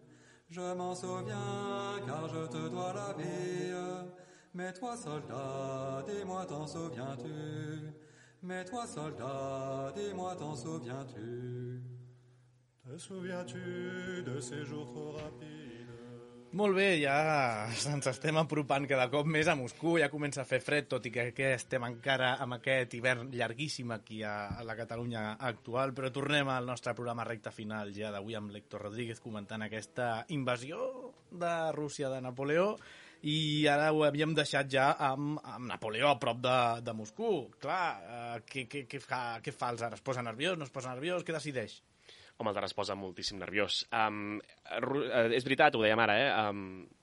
Je m'en souviens car je te dois la vie, Mais toi, soldat, dis-moi, t'en souviens-tu? Mais toi, soldat, dis-moi, t'en souviens-tu? Te souviens-tu de ces jours trop rapides? Molt bé, ja ens estem apropant cada cop més a Moscou, ja comença a fer fred, tot i que estem encara amb aquest hivern llarguíssim aquí a la Catalunya actual, però tornem al nostre programa recta final ja d'avui amb l'Héctor Rodríguez comentant aquesta invasió de Rússia de Napoleó, i ara ho havíem deixat ja amb Napoleó a prop de Moscou. Clar, què fa els ara? Es posa nerviós, no es posa nerviós? Què decideix? Home, el Dara es posa moltíssim nerviós. És veritat, ho dèiem ara,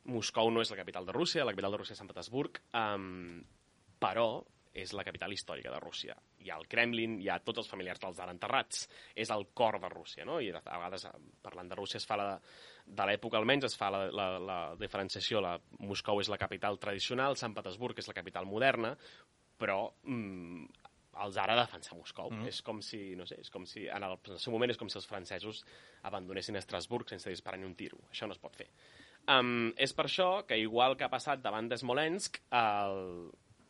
Moscou no és la capital de Rússia, la capital de Rússia és Sant Petersburg, però és la capital històrica de Rússia. Hi ha el Kremlin, hi ha tots els familiars dels Tsar enterrats, és el cor de Rússia, no? I a vegades, parlant de Rússia, es fa de l'època almenys, es fa la diferenciació. Moscou és la capital tradicional, Sant Petersburg és la capital moderna, però el Tsar ha de defensar Moscou. És com si, no sé, en el seu moment és com si els francesos abandonessin Estrasburg sense disparar ni un tiro. Això no es pot fer. És per això que, igual que ha passat davant d'Smolensk,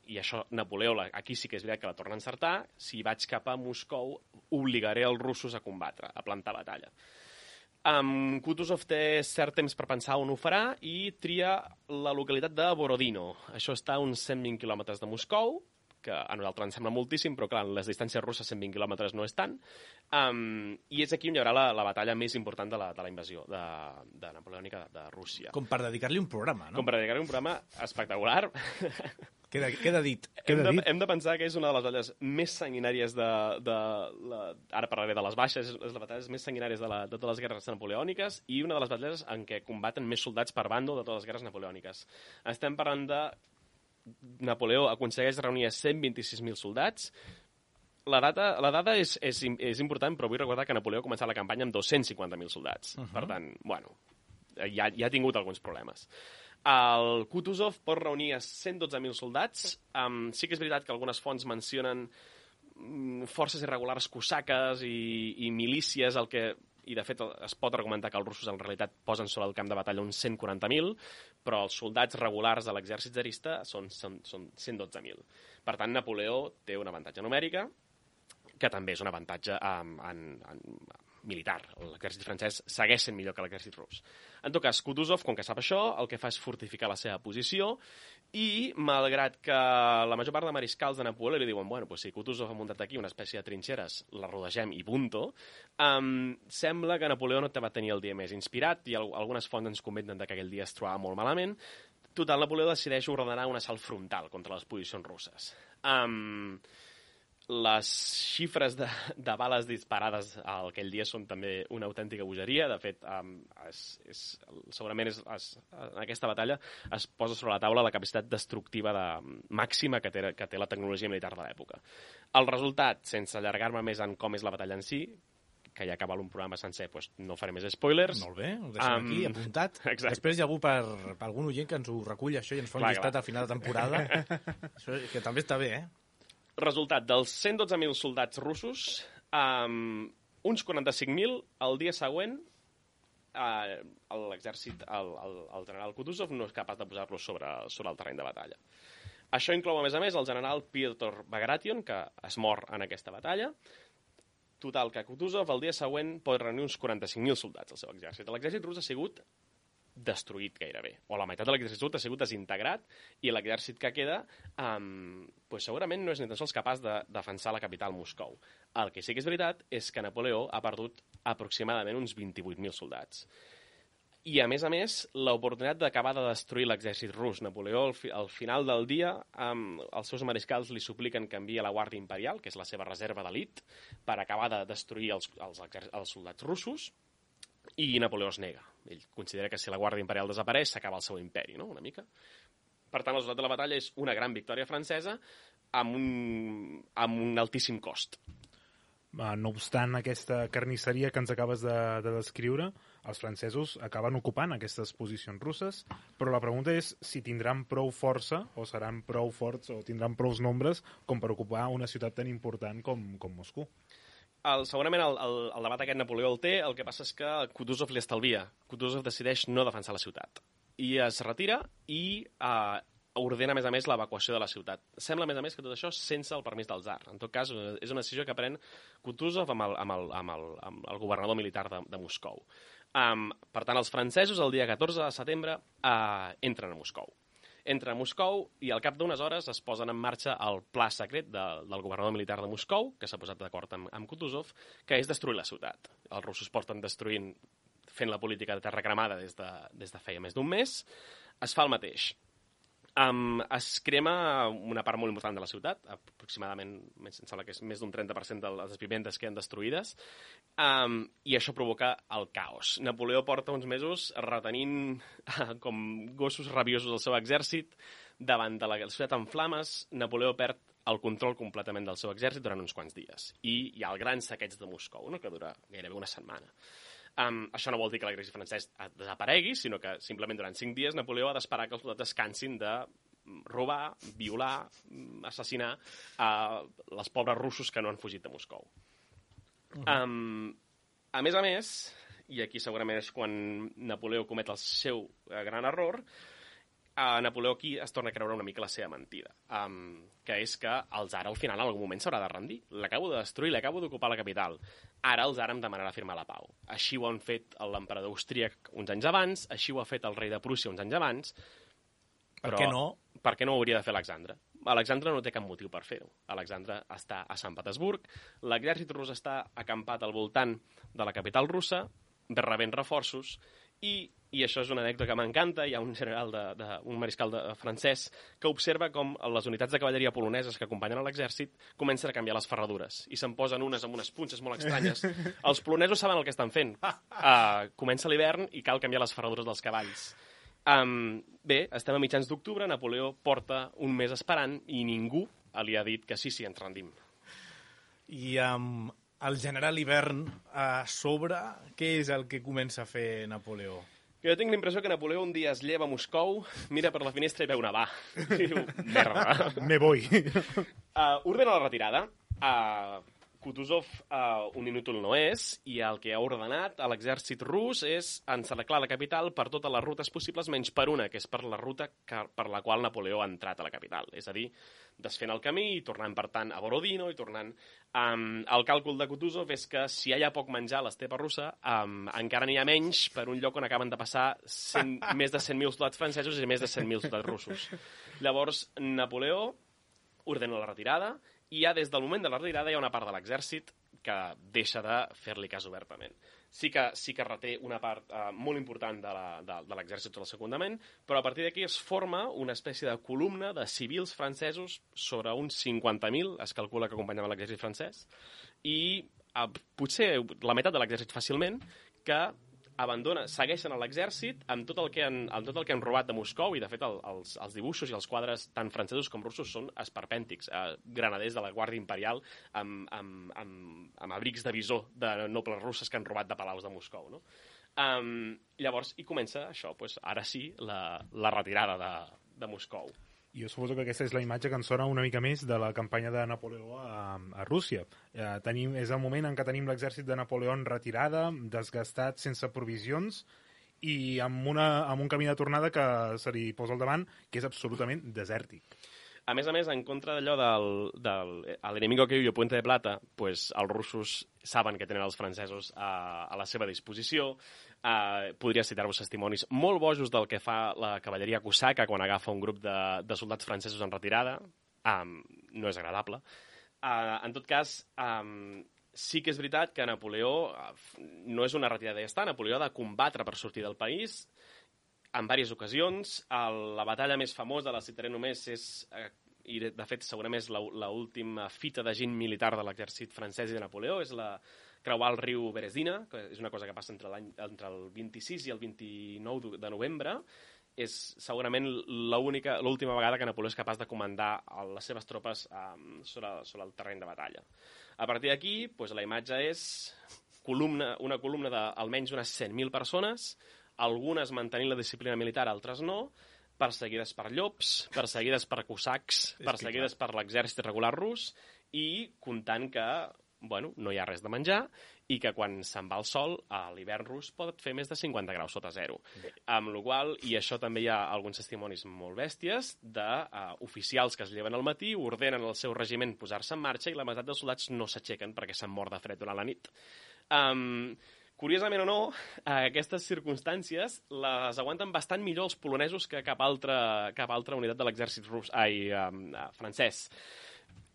i això Napoleó, aquí sí que és veritat que la torna a encertar, si vaig cap a Moscou, obligaré els russos a combatre, a plantar batalla. Kutuzov té cert temps per pensar on ho farà i tria la localitat de Borodino. Això està a uns 120 quilòmetres de Moscou, que a nosaltres ens sembla moltíssim, però clar, en les distàncies russes 120 quilòmetres no és tant, i és aquí on hi haurà la batalla més important de la invasió de napoleònica de Rússia. Com per dedicar-li un programa, no? Com per dedicar-li un programa espectacular. Queda dit. Hem de pensar que és una de les batalles més sanguinàries ara parlaré de les baixes, és les batalles més sanguinàries de totes les guerres napoleòniques i una de les batalles en què combaten més soldats per bàndol de totes les guerres napoleòniques. Estem parlant de Napoleó aconsegueix reunir a 126.000 soldats. La dada és important, però vull recordar que Napoleó ha començat la campanya amb 250.000 soldats. Per tant, bueno, ja ha tingut alguns problemes. El Kutuzov pot reunir a 112.000 soldats. Sí que és veritat que algunes fonts mencionen forces irregulars cosaques i milícies, i de fet es pot argumentar que els russos en realitat posen sobre el camp de batalla uns 140.000, però els soldats regulars de l'exèrcit tsarista són 112.000. Per tant, Napoleó té un avantatge numèrica, que també és un avantatge militar. L'exèrcit francès segueix sent millor que l'exèrcit rus. En tot cas, Kutuzov, com que sap això, el que fa és fortificar la seva posició i, malgrat que la major part de mariscals de Napoleó li diuen bueno, pues si Kutuzov ha muntat aquí una espècie de trinxeres, la rodegem i punto, sembla que Napoleó no va tenir el dia més inspirat i algunes fonts ens comenten que aquell dia es trobava molt malament. Total, Napoleó decideix ordenar un assalt frontal contra les posicions russes. Les xifres de bales disparades aquell dia són també una autèntica bogeria. De fet, segurament en aquesta batalla es posa sobre la taula la capacitat destructiva màxima que té la tecnologia militar de l'època. El resultat, sense allargar-me més en com és la batalla en si, que ja acaba un programa sencer, doncs no faré més spoilers. Molt bé, ho deixem aquí, apuntat. Exacte. Després hi ha algun oient que ens ho recull, això, i ens fa un llistat al final de temporada. Això, que també està bé, Resultat, dels 112.000 soldats russos, uns 45.000 el dia següent l'exèrcit, el general Kutuzov no és capaç de posar-los sobre el terreny de batalla. Això inclou, a més, el general Pyotr Bagration, que es mor en aquesta batalla. Total, que Kutuzov el dia següent pot reunir uns 45.000 soldats al seu exèrcit. L'exèrcit rus ha sigut destruït gairebé, o la meitat de l'exèrcit rus ha sigut desintegrat, i l'exèrcit que queda segurament no és ni tan sols capaç de defensar la capital Moscou. El que sí que és veritat és que Napoleó ha perdut aproximadament uns 28.000 soldats. I, a més, l'oportunitat d'acabar de destruir l'exèrcit rus. Napoleó, al final del dia, els seus mariscals li supliquen que enviï la Guàrdia Imperial, que és la seva reserva d'elit, per acabar de destruir els soldats russos, i Napoleó es nega. Ell considera que si la Guàrdia Imperial desapareix s'acaba el seu imperi, no? Una mica. Per tant, el resultat de la batalla és una gran victòria francesa amb un altíssim cost. No obstant aquesta carnisseria que ens acabes de descriure, els francesos acaben ocupant aquestes posicions russes, però la pregunta és si tindran prou força, o seran prou forts, o tindran prous nombres com per ocupar una ciutat tan important com Moscou. Segurament el debat aquest Napoleó el té, el que passa és que Kutuzov li estalvia. Kutuzov decideix no defensar la ciutat. I es retira i ordena, a més, l'evacuació de la ciutat. Sembla, a més, que tot això sense el permís del tsar. En tot cas, és una decisió que pren Kutuzov amb el governador militar de Moscou. Per tant, els francesos, el dia 14 de setembre, entren a Moscou. Entren a Moscou i al cap d'unes hores es posen en marxa el pla secret del governador militar de Moscou, que s'ha posat d'acord amb Kutuzov, que és destruir la ciutat. Els russos porten destruint, fent la política de terra cremada des de feia més d'un mes. Es fa el mateix. Es crema una part molt important de la ciutat, aproximadament, em sembla que és més d'un 30% de les viventes queden destruïdes, i això provoca el caos. Napoleó porta uns mesos retenint com gossos rabiosos el seu exèrcit davant de la ciutat en flames. Napoleó perd el control completament del seu exèrcit durant uns quants dies. I hi ha el gran saqueig de Moscou, no?, que dura gairebé una setmana. Això no vol dir que l'exèrcit francès desaparegui, sinó que simplement durant 5 dies Napoleó ha d'esperar que els soldats descansin de robar, violar, assassinar els pobres russos que no han fugit de Moscou. A més, i aquí segurament és quan Napoleó comet el seu gran error, Napoleó aquí es torna a creure una mica la seva mentida, que és que el tsar al final en algun moment s'haurà de rendir. L'acabo de destruir, l'acabo d'ocupar la capital. Ara el tsar em demanarà firmar la pau. Així ho han fet l'emperador austríac uns anys abans, així ho ha fet el rei de Prússia uns anys abans. Per què no? Per què no ho hauria de fer Alexandre? Alexandre no té cap motiu per fer-ho. Alexandre està a Sant Petersburg, l'exèrcit rus està acampat al voltant de la capital russa, rebent reforços, i això és una anècdota que m'encanta. Hi ha un general, un mariscal francès, que observa com les unitats de cavalleria poloneses que acompanyen l'exèrcit comencen a canviar les ferradures i se'n posen unes amb unes punxes molt estranyes. Els polonesos saben el que estan fent. Comença l'hivern i cal canviar les ferradures dels cavalls. Bé, estem a mitjans d'octubre, Napoleó porta un mes esperant i ningú li ha dit que sí, ens rendim. I el general Hivern a sobre, què és el que comença a fer Napoleó? Jo tinc la impressió que Napoleó un dia es lleva a Moscou, mira per la finestra i veu nevar. I diu, merda. Me voy. Ordena la retirada. Kutuzov un inútil no és, i el que ha ordenat a l'exèrcit rus és encerclar la capital per totes les rutes possibles, menys per una, que és per la ruta per la qual Napoleó ha entrat a la capital. És a dir, desfent el camí i tornant, per tant, a Borodino i tornant... El càlcul de Kutuzov és que si hi ha poc menjar a l'estepa russa, encara n'hi ha menys per un lloc on acaben de passar més de 100.000 soldats francesos i més de 100.000 soldats russos. Llavors, Napoleó ordena la retirada, i ja des del moment de la retirada hi ha una part de l'exèrcit que deixa de fer-li cas obertament. Sí que reté una part molt important de l'exèrcit del secundament, però a partir d'aquí es forma una espècie de columna de civils francesos, sobre uns 50.000, es calcula que acompanyaven l'exèrcit francès, i potser la meitat de l'exèrcit fàcilment, que segueixen a l'exèrcit amb tot el que han robat de Moscou, i de fet els dibuixos i els quadres tant francesos com russos són esperpèntics, granaders de la Guàrdia Imperial amb abrics de visor de nobles russes que han robat de palaus de Moscou, no? Llavors hi comença això, ara sí, la retirada de Moscou. Jo suposo que aquesta és la imatge que ens sona una mica més de la campanya de Napoleó a Rússia. És el moment en què tenim l'exèrcit de Napoleó en retirada, desgastat, sense provisions, i amb un camí de tornada que se li posa al davant, que és absolutament desèrtic. A més, en contra d'allò del enemigo que viu Puente de Plata, els russos saben que tenen els francesos a la seva disposició. Podria citar-vos testimonis molt bojos del que fa la cavalleria cosaca quan agafa un grup de soldats francesos en retirada. No és agradable. En tot cas, sí que és veritat que Napoleó no és una retirada i ja està. Napoleó ha de combatre per sortir del país en diverses ocasions. La batalla més famosa, la citaré només, i de fet segurament és l'última fita de gent militar de l'exèrcit francès i de Napoleó, és creuar el riu Berezina, que és una cosa que passa entre el 26 i el 29 de novembre. És segurament l'última vegada que Napoleó és capaç de comandar les seves tropes sobre el terreny de batalla. A partir d'aquí, la imatge és una columna d'almenys unes 100.000 persones, algunes mantenint la disciplina militar, altres no, perseguides per llops, perseguides per cosacs, perseguides per l'exèrcit regular rus, i comptant que bueno, no hi ha res de menjar i que quan se'n va el sol, a l'hivern rus pot fer més de 50 graus sota zero. Amb la qual cosa, i això també hi ha alguns testimonis molt bèsties, d'oficials que es lleven al matí, ordenen al seu regiment posar-se en marxa i la meitat dels soldats no s'aixequen perquè s'han mort de fred durant la nit. Curiosament o no, aquestes circumstàncies les aguanten bastant millor els polonesos que cap altra unitat de l'exèrcit francès.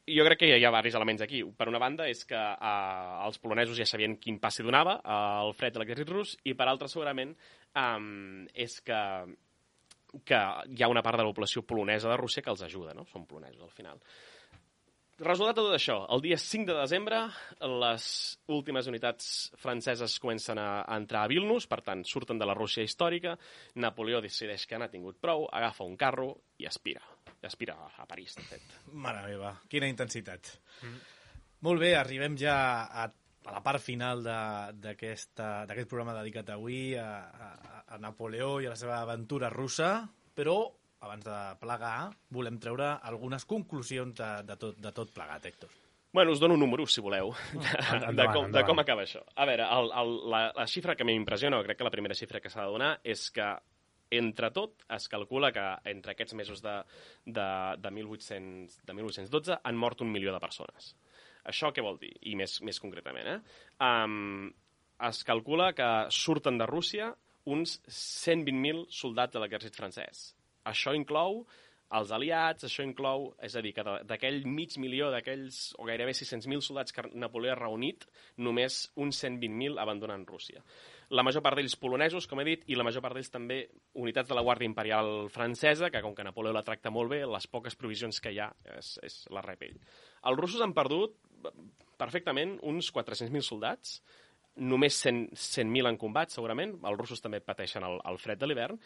Jo crec que hi ha diversos elements aquí. Per una banda és que els polonesos ja sabien quin pas s'hi donava el fred de l'exèrcit rus i per altra segurament és que hi ha una part de la població polonesa de Rússia que els ajuda, no? Són polonesos al final. Resultat de tot això, el dia 5 de desembre les últimes unitats franceses comencen a entrar a Vilnius, per tant surten de la Rússia històrica, Napoleó decideix que n'ha tingut prou, agafa un carro i aspira a París, de fet. Mare meva, quina intensitat. Molt bé, arribem ja a la part final d'aquest programa dedicat avui a Napoleó i a la seva aventura russa, però abans de plegar, volem treure algunes conclusions de tot plegat, Héctor. Bueno, us dono números, si voleu, de com acaba això. A veure, la xifra que m'impressiona, o crec que la primera xifra que s'ha de donar, és que, entre tot, es calcula que entre aquests mesos de 1812 han mort 1 milió de persones. Això què vol dir? I més concretament, es calcula que surten de Rússia uns 120.000 soldats de l'exèrcit francès. Això inclou els aliats, això inclou, és a dir, que d'aquell mig milió, d'aquells, o gairebé 600.000 soldats que Napoleó ha reunit, només uns 120.000 abandonen Rússia. La major part d'ells polonesos, com he dit, i la major part d'ells també unitats de la Guàrdia Imperial francesa, que com que Napoleó la tracta molt bé, les poques provisions que hi ha és la rep ell. Els russos han perdut perfectament uns 400.000 soldats, només 100.000 en combat, segurament. Els russos també pateixen el fred de l'hivern,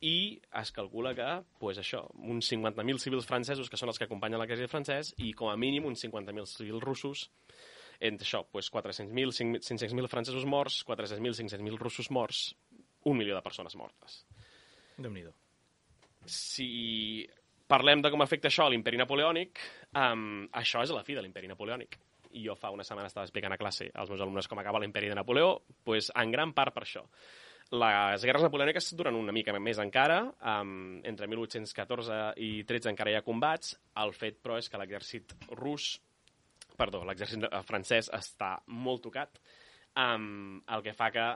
i es calcula que, uns 50.000 civils francesos, que són els que acompanyen l'exèrcit francès, i com a mínim uns 50.000 civils russos, entre això, 400.000, 500.000 francesos morts, 400.000, 500.000 russos morts, 1 milió de persones mortes. Déu-n'hi-do. Si parlem de com afecta això a l'imperi napoleònic, això és la fi de l'imperi napoleònic. I jo fa una setmana estava explicant a classe als meus alumnes com acaba l'imperi de Napoleó, en gran part per això. Les guerres napoleòniques duren una mica més encara, entre 1814 i 13 encara hi ha combats. El fet, però, és que l'exèrcit francès està molt tocat, el que fa que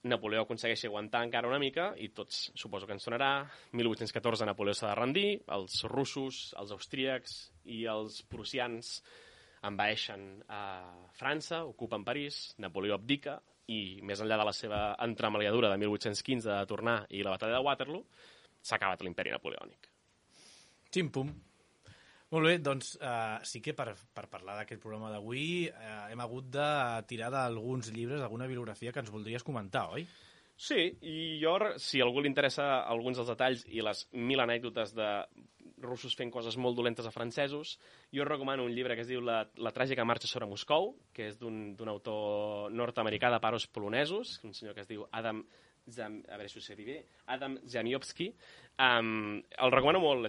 Napoleó aconsegueixi aguantar encara una mica, i tots suposo que ens sonarà. 1814 Napoleó s'ha de rendir, els russos, els austríacs i els prussians envaeixen a França, ocupen París, Napoleó abdica, i més enllà de la seva entremaliadura de 1815 de tornar i la batalla de Waterloo, s'ha acabat l'imperi napoleònic. Xim-pum. Molt bé, doncs sí que per parlar d'aquest programa d'avui hem hagut de tirar d'alguns llibres, d'alguna bibliografia que ens voldries comentar, oi? Sí, i jo, si a algú li interessa alguns dels detalls i les 1000 anècdotes de russos fent coses molt dolentes a francesos, jo recomano un llibre que es diu La tràgica marxa sobre Moscou, que és d'un autor nord-americà de pares polonesos, un senyor que es diu Adam Zamiowski. El recomano molt,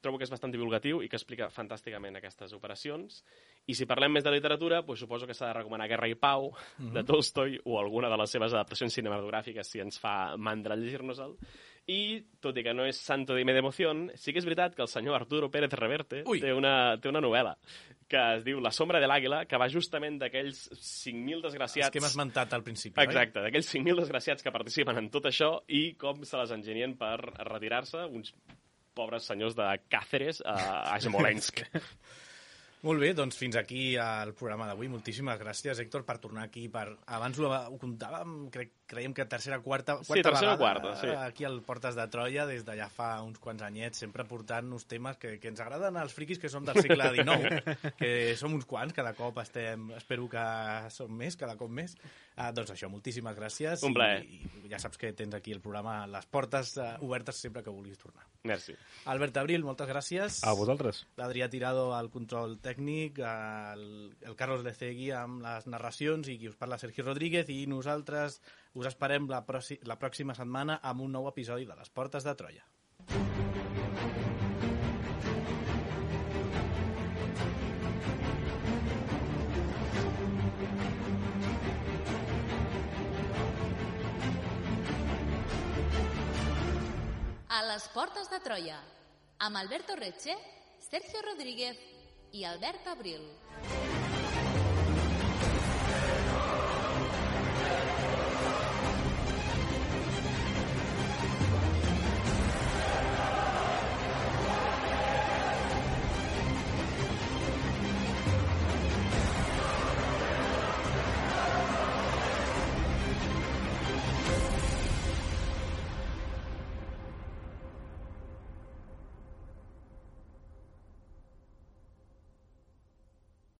trobo que és bastant divulgatiu i que explica fantàsticament aquestes operacions. I si parlem més de literatura, suposo que s'ha de recomanar Guerra i Pau, de Tolstoi, o alguna de les seves adaptacions cinematogràfiques, si ens fa mandra llegir-nos-el. I, tot i que no és santo de mi devoción, sí que és veritat que el senyor Arturo Pérez Reverte té una novel·la que es diu La sombra de l'àguila, que va justament d'aquells 5.000 desgraciats... Els que hem esmentat al principi, exacte, d'aquells 5.000 desgraciats que participen en tot això i com se les enginyen per retirar-se uns pobres senyors de Càceres a Smolensk. Molt bé, doncs fins aquí el programa d'avui. Moltíssimes gràcies, Héctor, per tornar aquí. Abans ho comptàvem, creiem que tercera o quarta vegada sí. Aquí al Portes de Troia, des d'allà fa uns quants anyets, sempre portant-nos temes que ens agraden als friquis que som del segle XIX, que som uns quants, cada cop espero que som més, cada cop més. Doncs això, moltíssimes gràcies. Un plaer. I ja saps que tens aquí el programa, les portes obertes sempre que vulguis tornar. Merci. Albert Abril, moltes gràcies. A vosaltres. L'Adrià Tirado al control tècnic, el Carlos Lecegui amb les narracions i qui us parla Sergi Rodríguez, i nosaltres us esperem la pròxima setmana amb un nou episodi de Les Portes de Troia. les portes de Troia, amb Alberto Reche, Sergio Rodríguez i Albert Abril.